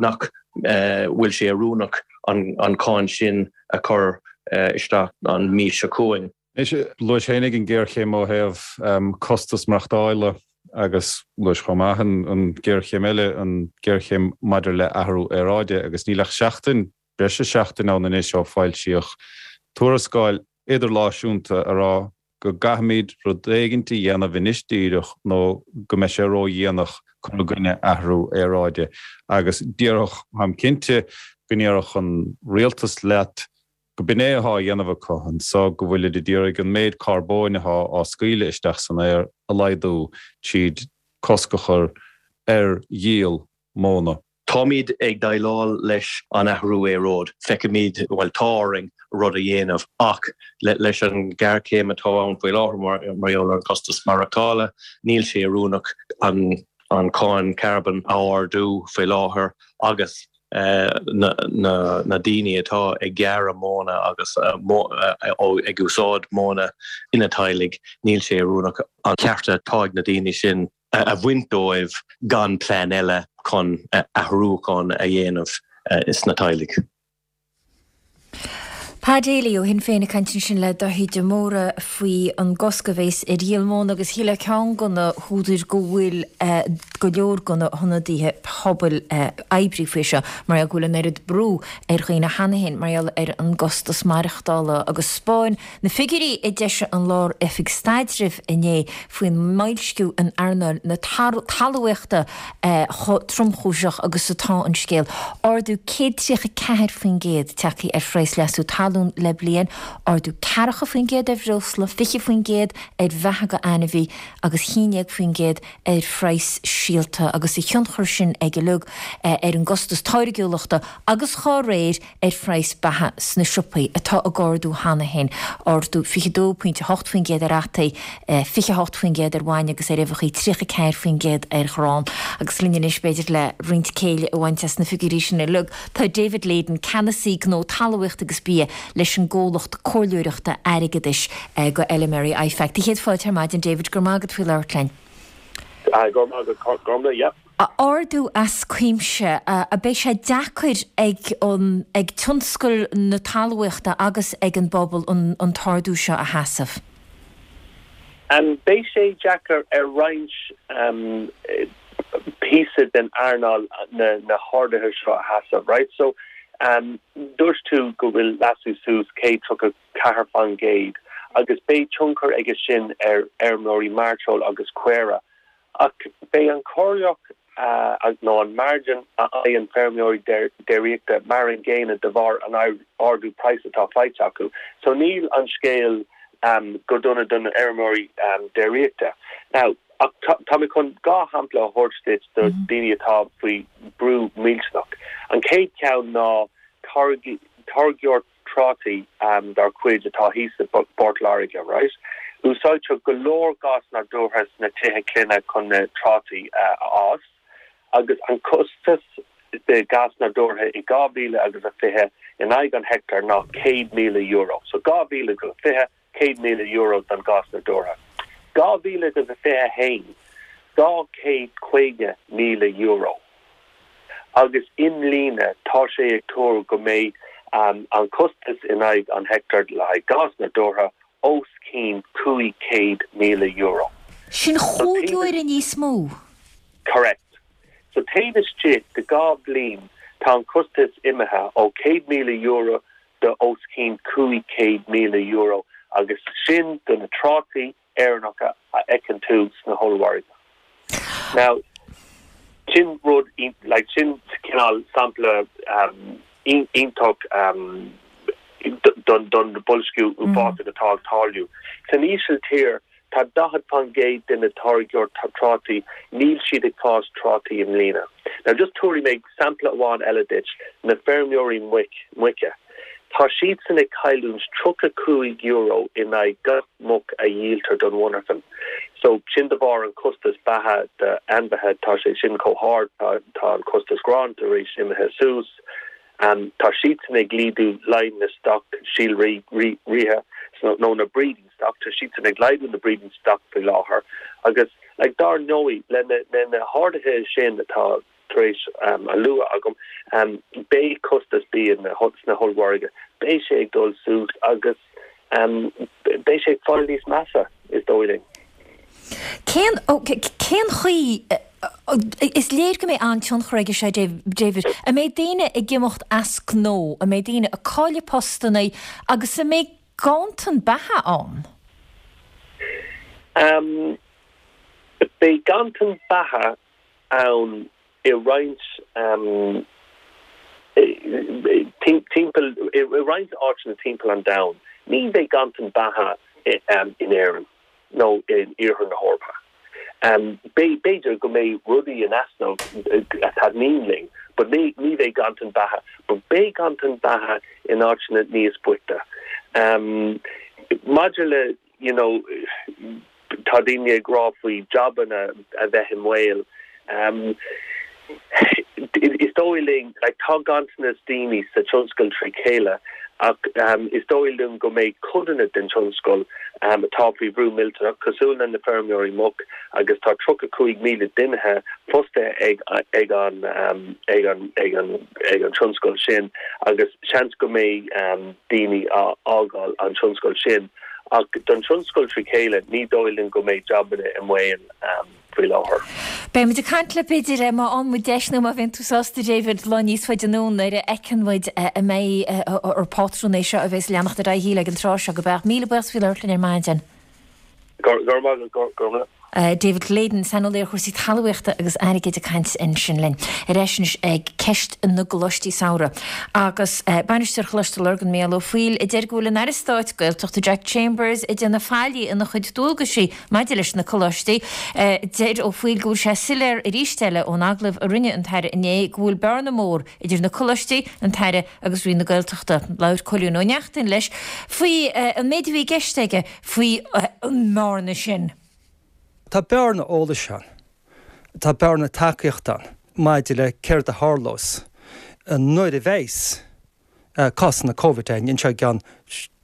S12: nach bhfuil sé oiriúnach an cáin sin a chur isteach an mhí seo chugainn.
S13: Anois, luais féinig an ghéarchéim ó thaobh costas maireachtála agus luais chomh maith an ghéarchéim eile, an ghéarchéim maidir le athrú aeráide agus níl ach seachtain, breis is seachtain ann anois ó foilsíodh tuarascáil idirnáisiúnta a rá go gcaithfimid rud éigint a dhéanamh anois díreach nó go mbeidh sé ródhéanach cur i gcoinne athrú aeráide agus déarfadh, táim cinnte go ndéarfadh an rialtas leat go b'in é atá á dhéanamh acu anso, go bhfuilid ag iarraidh an méid carbóin atá á scaoileadh isteach san aer a laghdú tríd cosc a chur ar dhíol móna.
S12: Táimid ag déileáil leis an athrú aeráide. Feicimid, bhuel, tá orainn rud a dhéanamh ach leis an ghéarchéim atá ann faoi láthair mar gheall ar an costas maireachtála, níl sé oiriúnach an an cáin carbón a ardú faoi láthair agus na daoine atá ag gearradh móna agus ag úsáid móna ina dteaghlaigh, níl sé oiriúnach an ceart atá ag na daoine sin a bhaint dóibh gan plean eile chun athrúchán a dhéanamh sna teaghlaigh.
S1: Pa Daly ó Shinn Féin ag caint ansin le Daithí de Mórdha faoi an gcosc a bhéas ar dhíol móna agus shílfeá ceann de na húdair go bhfuil go leor de na hionadaithe pobail oibrithe faoi seo mar go bhfuil an oiread brú ar dhaoine cheana féin mar gheall ar an gcostas maireachtála agus 'spáin na figiúirí a d'eisigh an Lár-Oifig Staidrimh inné faoin mboilsciú in earnáil na talmhaíochta chomh tromchúiseach agus atá an scéal. Ardú céad tríocha ceathair faoin gcéad tagtha ar phraghas leasú talún le bliain, ardú ceathracha faoin gcéad ar bhreosla, fiche faoin gcéad ar bheatha do ainmhí agus haon déag faoin gcéad ar phraghas síolta agus a thionchar sin ag uilig ar an gcostas táirgiúlachta agus dá réir ar phraghas beatha sna siopaí atá ag ardú cheana féin, ardú fiche dó pointe a hocht faoin gcéad ar fhataí, fiche a hocht faoin gcéad ar bhainne agus ar uibheacha, tríocha ceathair faoin gcéad ar ghrán. Agus linn anois, b'fhéidir, le roinnt céille a bhaint as na figiúirí sin uilig, tá David Leyden, Ceannasaí Gnó Talmhaíochta agus Bia leis an gcomhlacht comhairleoireachta airgeadais go L M R I F A C. Tá céad fáilte ar maidin, David, go raibh maith agat faoi labhairt linn.
S14: Go raibh maith agat, Gormlaith, yeah.
S1: Ardú as cuimse, a beidh sé deacair ag an ag tionscal na talmhaíochta agus ag an bpobal an an t-ardú seo a sheasamh?
S14: Um, beidh sé deacair ar roinnt um, píosa den earnáil na, na harduithe seo a sheasamh, right? So um, dúirt tú go bhfuil leasú suas céad tríocha ceathair faoin gcéad agus beidh tionchar aige sin ar fheirmeoirí mairteoil agus caora. Ach beidh an corrlach uh, nó an margin a fhaigheann feirmeoirí déiríochta mar an gcéanna de bharr an ardú praghas atá faighte acu. So níl an scéal um, go dona don fheirmeoirí um, déiríochta. Now, tá mé chun dhá shampla a thabhairt duit do mm -hmm. daoine atá faoi brú millteanach. An chéad cheann ná táirgeoir trátaí um, dar cuid atá thíos i bPort Láirge, right? Úsáidtear go leor gás nádúrtha sna tithe clainne chun na trátaí uh, a fhás, agus an costas de gás nádúrtha i dhá mhíle agus a fiche in aghaidh an heicteár ná céad míle euro. So dhá mhíle agus a fiche céad míle euro don gás nádúrtha. Dhá mhíle agus a fiche haon dhá chéad caoga míle euro. Agus i mbliana tá sé ag tuar go mbeidh um, an costas in aghaidh an heicteár le haghaidh gás nádúrtha os cionn cúig chéad míle euro.
S1: Sin chúig uaire níos mó.
S14: Correct. So taobh istigh de dhá bhliain tá an costas imithe ó céad míle euro de os cionn cúig chéad míle euro agus sin do na trátaí Éireannacha a fheiceann tú sna hollmhargaí. Now sin rud like sin cineál sampla um, iontach um, don don boilsciú uafásach atá ag tarlú. San Ísiltír tá daichead faoin gcéad de na táirgeoirí trátaí níl siad ag fás trátaí i mbliana. Now just tabharfaidh mé sampla amháin eile duit na feirmeoirí muic muice. Tá siadsan ag cailliúint tríocha cúig euro in aghaidh gach muc a dhíoltar don mhonarchan. So sin de bharr an costas beatha de ainmhithe tá sé sin chomh hard tá, tá an costas gráin tar éis imithe suas. Um, tá siadsan ag laghdú líon na stoc síolraithe nó na breeding stock tá siadsan ag laghdú na breeding stock faoi láthair agus like dar ndóigh le na, le na harduithe sin atá tar éis um, a lua agam um, beidh costas bia na sna hollmhargaí beidh sé ag dul suas agus um, beidh sé ag fáil níos measa is dóigh linn.
S1: Cén cén chaoi is léir go mbeidh an-tionchar aige sé David, a mbeidh daoine ag imeacht as gnó, a mbeidh daoine ag cailleadh postanna agus a mbeidh ganntan beatha ann?
S14: Um, beidh ganntan beatha ann i roinnt um, timpeall i roinnt áiteanna timpeall an domhain. Ní bheidh ganntan beatha um, in Éirinn nó in iarthar na hEorpa. Um, B'fhéidir go mbeidh rudaí in easnamh atá linn, but ní ní bheidh ganntan beatha, but beidh ganntan beatha in áiteanna níos boichte. Um, maidir le you know, tá daoine ag rá faoi jabanna a bheith i mbaol. Um, is dóigh linn, like, tá ganntanas daoine sa tionscal trí chéile ach is dóigh liom go mbeidh codanna den tionscal atá faoi bhrú millteanach, cosúil le na feirmeoirí muc agus tá tríocha cúig míle duine fostaithe ag ag an ag an ag an ag an tionscal sin agus seans go mbeidh daoine á fhágáil an tionscal sin. Ach don tionscal trí chéile, ní dóigh linn go mbeidh jabanna i mbaol faoi láthair.
S1: Beidh muid ag caint leat b'fhéidir má fhaigheann muid deis nó má bhíonn tú sásta David lá níos faide anonn nuair a fheiceann muid an mbeidh ar pátrún é seo a bheas ag leanacht ar aghaidh ag an tráth seo go beadh. Míle buíochas faoi labhairt linn ar maidin.
S14: Go raibh maith agat, go raibh maith.
S1: David Leyden, saineolaí ar chúrsaí talmhaíochta agus airgid ag caint ansin linn. Ar ais anois ag ceist na gcoláistí samhraidh. Agus Bainisteoir Choláiste Lurgan Mícheál Ó Foighil a deir go bhfuil an Aire Stáit Gaeltachta Jack Chambers ag déanamh faillí ina chuid dualgaisí maidir leis na coláistí. Deir Ó Foighil go bhfuil sé soiléir arís eile ón agallamh a rinne an tAire inné go bhfuil bearna mór idir na coláistí, an tAire agus Roinn na Gaeltachta. Labhair Cóilín Ó Neachtain leis faoi an méid a bhí i gceist aige faoi an mbearna sin.
S15: Tá bearna eolais ann, tá bearna tacaíochta ann maidir le céard a tharlós nuair a bheas cásanna Covid ann anseo i gceann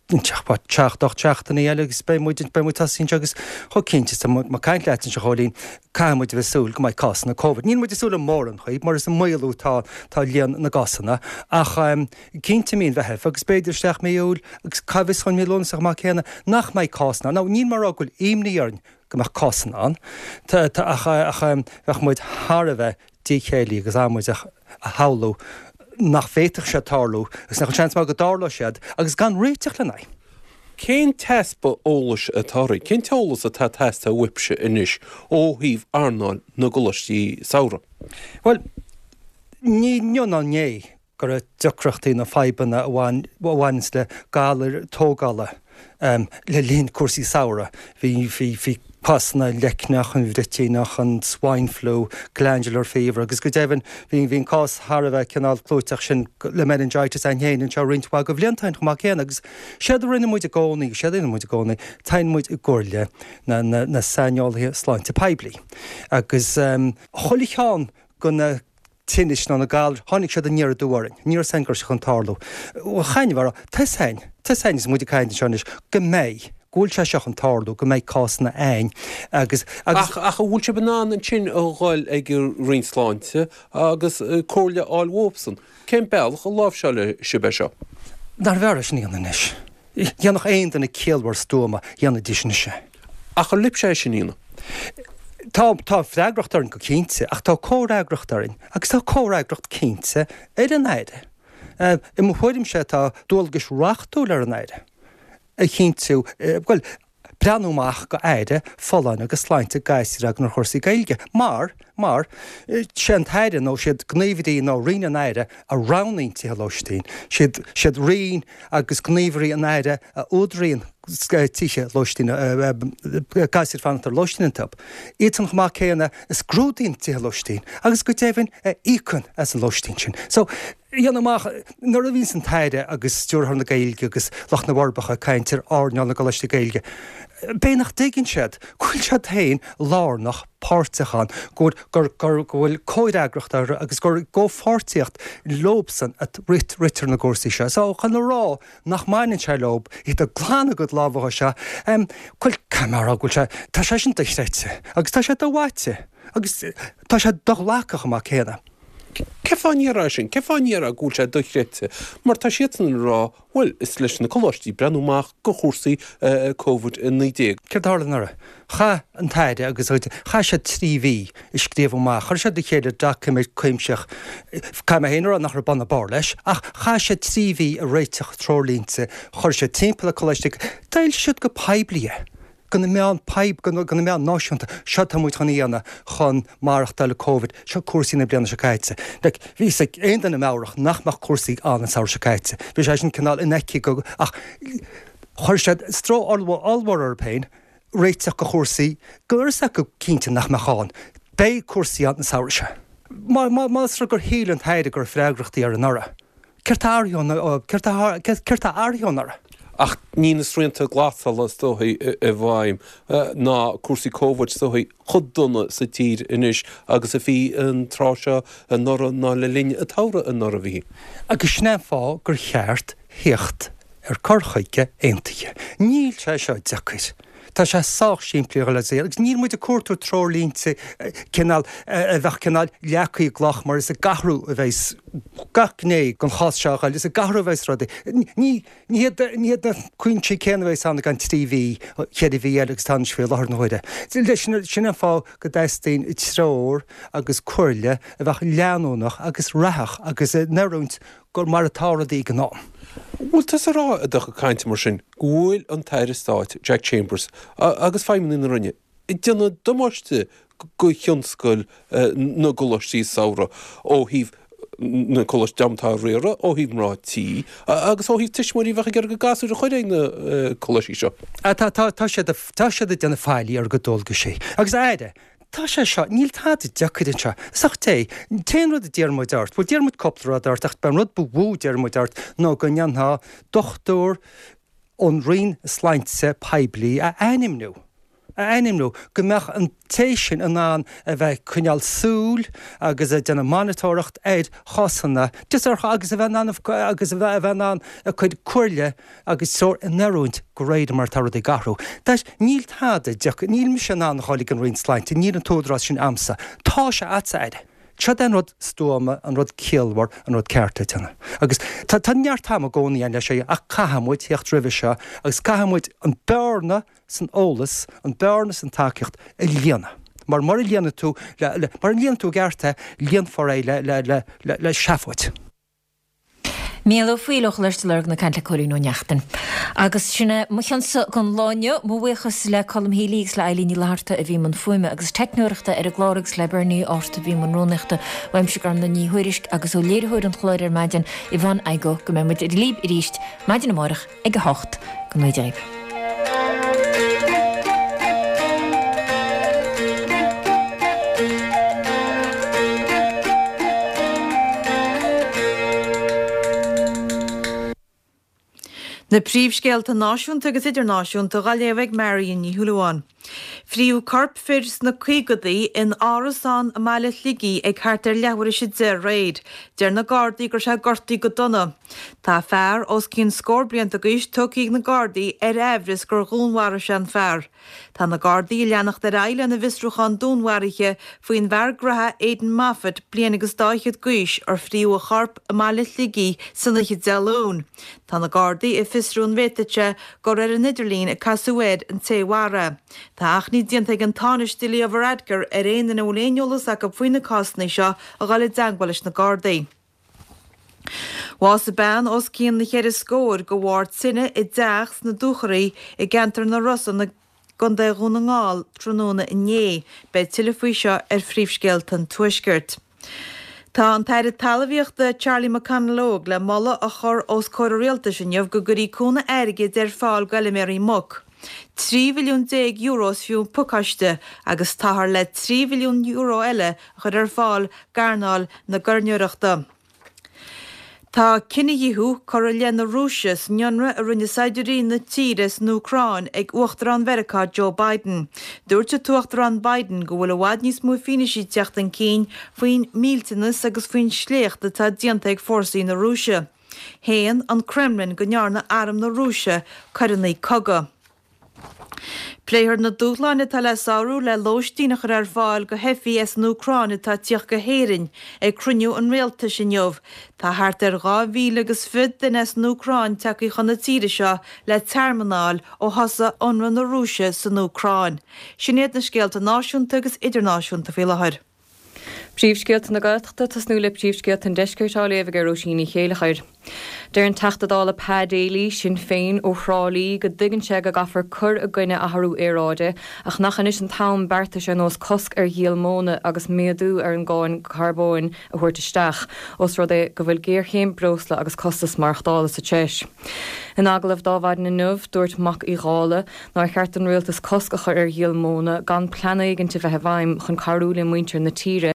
S15: seacht, ocht seachtainí eile agus beidh muid, beidh muid tosaithe anseo agus chomh cinnte is atá mé ag caint leat anseo a Chóilín, caithfidh muid a bheith ag súil go mbeidh cásanna Covid. Níl muid ag súil le mórán choíche mar is ag maolú atá, tá líon na gcásanna ach cinnte mí an Mheithimh agus b'fhéidir isteach mí Iúil agus cá bhfios chun mí Lúnasa chomh maith céanna nach mbeidh cásanna ann. Now níl mé ag rá go bhfuil imní orainn go mbeadh cásanna ann ach bheadh muid thar a bheith díchéillí agus amaideach a shamhlú nach bhféadfadh sé tarlú agus nach bhfuil seans maith go dtarlódh siad agus gan réiteach lena aghaidh.
S16: Cén t-easpa eolais atá oraibh? Cén t-eolas atá ag teastáil uaibhse anois ó thaobh earnáil na gcoláistí samhraidh?
S15: Bhuel, ní inniu ná inné go raibh deacrachtaí nó fadhbanna a bhaineanns le galair tógála le linn cúrsaí samhraidh. Bhí, bhí, bhí cásanna leicneach, an bhruitíneach, an swine flu, glandular fever agus go deimhin bhí, bhí an cás thar a bheith cineál clúiteach sin le meningitis ann féin anseo roinnt mhaith de bhlianta ó shin chomh maith céanna agus séard a rinne muid i gcónaí, séard a dhéanann muid i gcónaí, téann muid i gcomhairle na, na, na saineolaithe sláinte poiblí agus chuile cheann de na tinnis nó na galair, tháinig siad aniar aduaidh orainn. Ní raibh 's againn go raibh sé chun tarlú. Bhuel, chan raibh, tá 's againn, tá 's againn agus muid ag caint anseo anois, go mbeidh, go bhfuil sé seo chun tarlú, go mbeidh cásanna ann agus, agus.
S16: Ach, ach an bhfuil sibh in ann ansin a dhul ag an Roinn Sláinte agus comhairle a fháil uathsan? Cén bealach a láimhseálfaidh sibh é seo?
S15: Nárbh fhearr é sin a dhéanamh anois? Dhéanfadh aon duine ciallmhar stuama, dhéanfaidís anois é.
S16: Ach ar libhse é sin a dhéanamh?
S15: Tá, tá freagracht orainn go cinnte, ach tá comhfhreagracht orainn agus tá comhfhreagracht cinnte ar an Aire. I mo thuairimse tá dualgais reachtúil ar an Aire a chinntiú, bhuel, breathnú amach go aire, folláine agus sláinte gasúir againn ar chúrsaí Gaeilge mar, mar, sé an tAire nó siad gníomhairí nó Roinn an Aire a roghnaíonn tithe lóistín, siad, siad Roinn agus gníomhairí an Aire a údaraíonn tithe lóistín, gasúir fanacht ar lóistín iontu. Iadsan chomh maith céanna a scrúdaíonn tithe lóistín agus go deimhin a íocann as an lóistín sin. So, dhéanamh amach, nuair a bhíonns an tAire agus Stiúrthóir na Gaeilge agus lucht na bhForbacha ag caint ar earnáil na gcoláistí Gaeilge, b'é nach dtuigeann siad go bhfuil siad féin lárnach páirteach ann, go bhfuil, gur, gur, go bhfuil comhfhreagracht orthu agus gur i gcomhpháirtíocht leobsan a ritear na cúrsaí seo. So, chun a rá nach mbaineann sé leob, iad ag glanadh a gcuid lámha seo, em, go bhfuil, caithfidh mé a rá go bhfuil sé, tá sé sin dochreidte agus tá sé do-mhaite agus tá sé do-ghlactha chomh maith céanna.
S16: Cén fáth a ndéarfá sin? Cén fáth a ndéarfá go bhfuil sé dochreidte? Mar tá siadsan ag rá, bhuel, is leis na coláistí breathnú amach go chúrsaí Covid a naoi déag.
S15: Céard a tharla anuraidh? Chaith an tAire agus a chuid, chaith siad trí mhí ag scríobh amach, chuir siad le chéile doiciméad cuimsitheach, caithfidh mé féin a rá nach raibh bun ná barr leis, ach chaith siad trí mhí ag réiteach treoirlínte, chuir siad timpeall na coláistí, d'fhoilsigh siad go poiblí é. go na meáin poib, go na meáin náisiúnta, seo tá muid chun a dhéanamh chun maireachtáil le Covid, seo cúrsaí na bliana seo caite. Like, bhí fhios ag aon duine meabhrach nach mbeadh cúrsaí ann an samhradh seo caite. Bhí sé sin cineál infheicthe go, ach chuir siad stró ollmhór orthu féin réiteach go chúrsaí go raibh fhios acu cinnte nach mbeadh ann. Beidh cúrsaí ann an samhradh seo. Má, má, más rud gur shíl an tAire go raibh freagrachtaí air anuraidh, céard tá athraithe, céard tá, céard tá athraithe ó anuraidh?
S16: Ach níl na srianta glasála is dóichí i bhfeidhm ná cúrsaí Covid is dóichí chomh dona sa tír anois agus a bhí an tráth seo anuraidh ná le linn an tsamhraidh anuraidh a bhí.
S15: Agus sin é an fáth gur cheart theacht ar cur chuige aontaithe. Níl sé seo deacair. Tá sé sách simplí a dhul ar agus níl muid ag cuartú treoirlínte cineál a bheadh cineál leagtha i gcloch mar is ag athrú a bheas gach gné den chás seo a dhul, is ag athrú a bheas rudaí. Ní ní hiad ní hiad na cúinsí céanna a bheas ann i gceann trí mhí, cheithre mhí eile agus atá anois faoi láthair na huaire. Sin sin an fáth go dteastaíonn treoir agus comhairle a bheadh leanúnach agus reathach agus in oiriúint gur mar atá rudaí ag an am.
S16: Bhfuil tusa ag rá i do chuid cainte mar sin go bhfuil an tAire Stáit Jack Chambers agus feidhmeannaigh na Roinne ag déanamh damáiste go thionscal na gcoláistí samhraidh ó thaobh na coláistí dream atá á riaradh, ó thaobh mná tí agus ó thaobh tuismitheoirí a bheadh ag iarraidh a gasúir a chur ag na coláistí seo?
S15: Tá, tá siad, tá siad ag déanamh faillí ar a gcuid dualgaisí. Agus a Aire, Tá sé seo, níl tada deacair anseo. Is ach Dé, an t-aon rud a d'iarr muid ort, bhuel d'iarr muid cúpla rud ort ach b'é an rud ba mhó a d'iarr muid ort ná go ndéanfá dochtúir ón Roinn Sláinte Poiblí a ainmniú, a ainmniú, go mbeadh an té sin in ann a bheith ag coinneáil súil agus ag déanamh monatóireacht ar chásanna, just ar, agus a bheith in ann, agus a bheith in ann ag cur comhairle agus treoir in oiriúint de réir mar atá rudaí ag athrú. That, níl tada deacair, níl mise in ann a dhul ag an Roinn Sláinte, níl an t-údarás sin a'msa. Tá sé a'dsa, a Aire. Seo é an rud stuama, an rud ciallmhar, an rud ceart le déanamh. Agus tá, tá neart ama i gcónaí ann leis seo ach caithfidh muid theacht roimhe seo agus caithfidh muid an bearna san eolas, an bearna san tacaíocht a líonadh. Mar mura líonann tú le, le, mura líonann tú i gceart é, líonfar é le, le, le, le, le seafóid.
S1: Mícheál Ó Foighil ó Choláiste Lurgan ag caint le Cóilín Ó Neachtain. Agus sin é mo chionsa don lá inniu. Mo bhuíochas le Colm Healy agus le Eilín Ní Fhlatharta a bhí i mbun fuaime agus teicneoireachta ar an gclár agus le Bernie Art a bhí i mbun rúnaíochta. Uaimse Gormlaith Ní Thuairisg agus ó léiritheoir an chláir ar maidin, Yvonne Igoe, go mbeidh muid libh arís maidin amárach ag a hocht. Go ngnóthaí Dia dhaoibh.
S2: Na príomhscéalta náisiúnta agus idirnáisiúnta á léamh ag Marion Ní Shúilleabháin. Fríodh corp fir sna caogadaí in árasán i mbaile Shligigh ag thart ar leathuair théis a deich aréir. Deir na Gardaí go raibh sé gortaithe go dona. Tá fear os cionn scór blianta d'aois tugtha ag na Gardaí ar aimhreas gur dhúnmharaigh sé an fear. Tá na Gardaí ag leanacht ar aghaidh lena bhfiosrúchán dúnmharaithe faoin bhfear graithe Aidan Moffitt, bliain agus dá fhichead d'aois, ar fríodh a chorp i mbaile Shligigh san oíche Dé Luain. Tá na Gardaí ag fiosrú an bhféadfadh sé gur ar an idirlíon a casadh air an té a mharaigh é. Tá achainí déanta ag an Tánaiste Leo Varadkar ar aon duine a bhfuil aon eolas acu faoi na cásanna seo a dhul i dteagmháil leis na Gardaí. Bhásaigh bean os cionn na cheithre scór de bharr tine i dteach sna Dúchoraidh i gceantar na Rosann i gContae Dhún na nGall tráthnóna inné. Beidh tuilleadh faoi seo ar Phríomhscéalta an Tuaiscirt. Tá an tAire Talmhaíochta Charlie McConalogue le moladh a chur os comhair an Rialtais inniu go gcuirfí cúnamh airgid ar fáil d'fheilméaraí muc. Trí mhilliún déag euro is fiú an pacáiste agus táthar le trí mhilliún euro eile a chur ar fáil d'earnáil na gairneoireachta. Tá cinedhíothú curtha i leith na Rúise san ionradh a rinne saighdiúirí na tíre san Úcráin ag Uachtarán Mheiriceá Joe Biden. Dúirt an tUachtarán Biden go bhfuil i bhfad níos mó fianaise ag teacht chun cinn faoin millteanas agus faoin sléacht atá déanta ag fórsaí na Rúise. Shéan an Kremlin go ndearna arm na Rúise coireanna cogaidh. Pléifear na dúshláin atá le sárú le lóistín a chur ar fáil do theifigh as an Úcráin atá ag tíocht go hÉirinn ag cruinniú an Rialtais inniu. Tá thart ar dhá mhíle agus fiche duine as an Úcráin tagtha chun na tíre seo le tearmann a fháil ó thosaigh ionradh na Rúise san Úcráin. Sin iad na scéalta náisiúnta agus idirnáisiúnta faoi láthair.
S3: Príomhscéalta na Gaeltachta, tosnú le príomhscéalta an Deiscirt á léamh ag Róisín Ní Chéilleachair. Deir an Teachta Dála Pa Daly, Sinn Féin, ó Thrá Lí go dtuigeann sé go gcaithfear cur i gcoinne athrú aeráide ach nach anois an t-am beartais ar nós cosc ar dhíol móna agus méadú ar an gcáin carbóin a thabhairt isteach, ós rud é go bhfuil géarchéim breosla agus costas maireachtála sa treis. In agallamh d'Adhmhaidin inniu, dúirt Mac Uí Dhálaigh nár cheart don rialtas cosc a chur ar dhíol móna gan plean éigin a bheith i bhfeidhm chun cabhrú le muintir na tíre.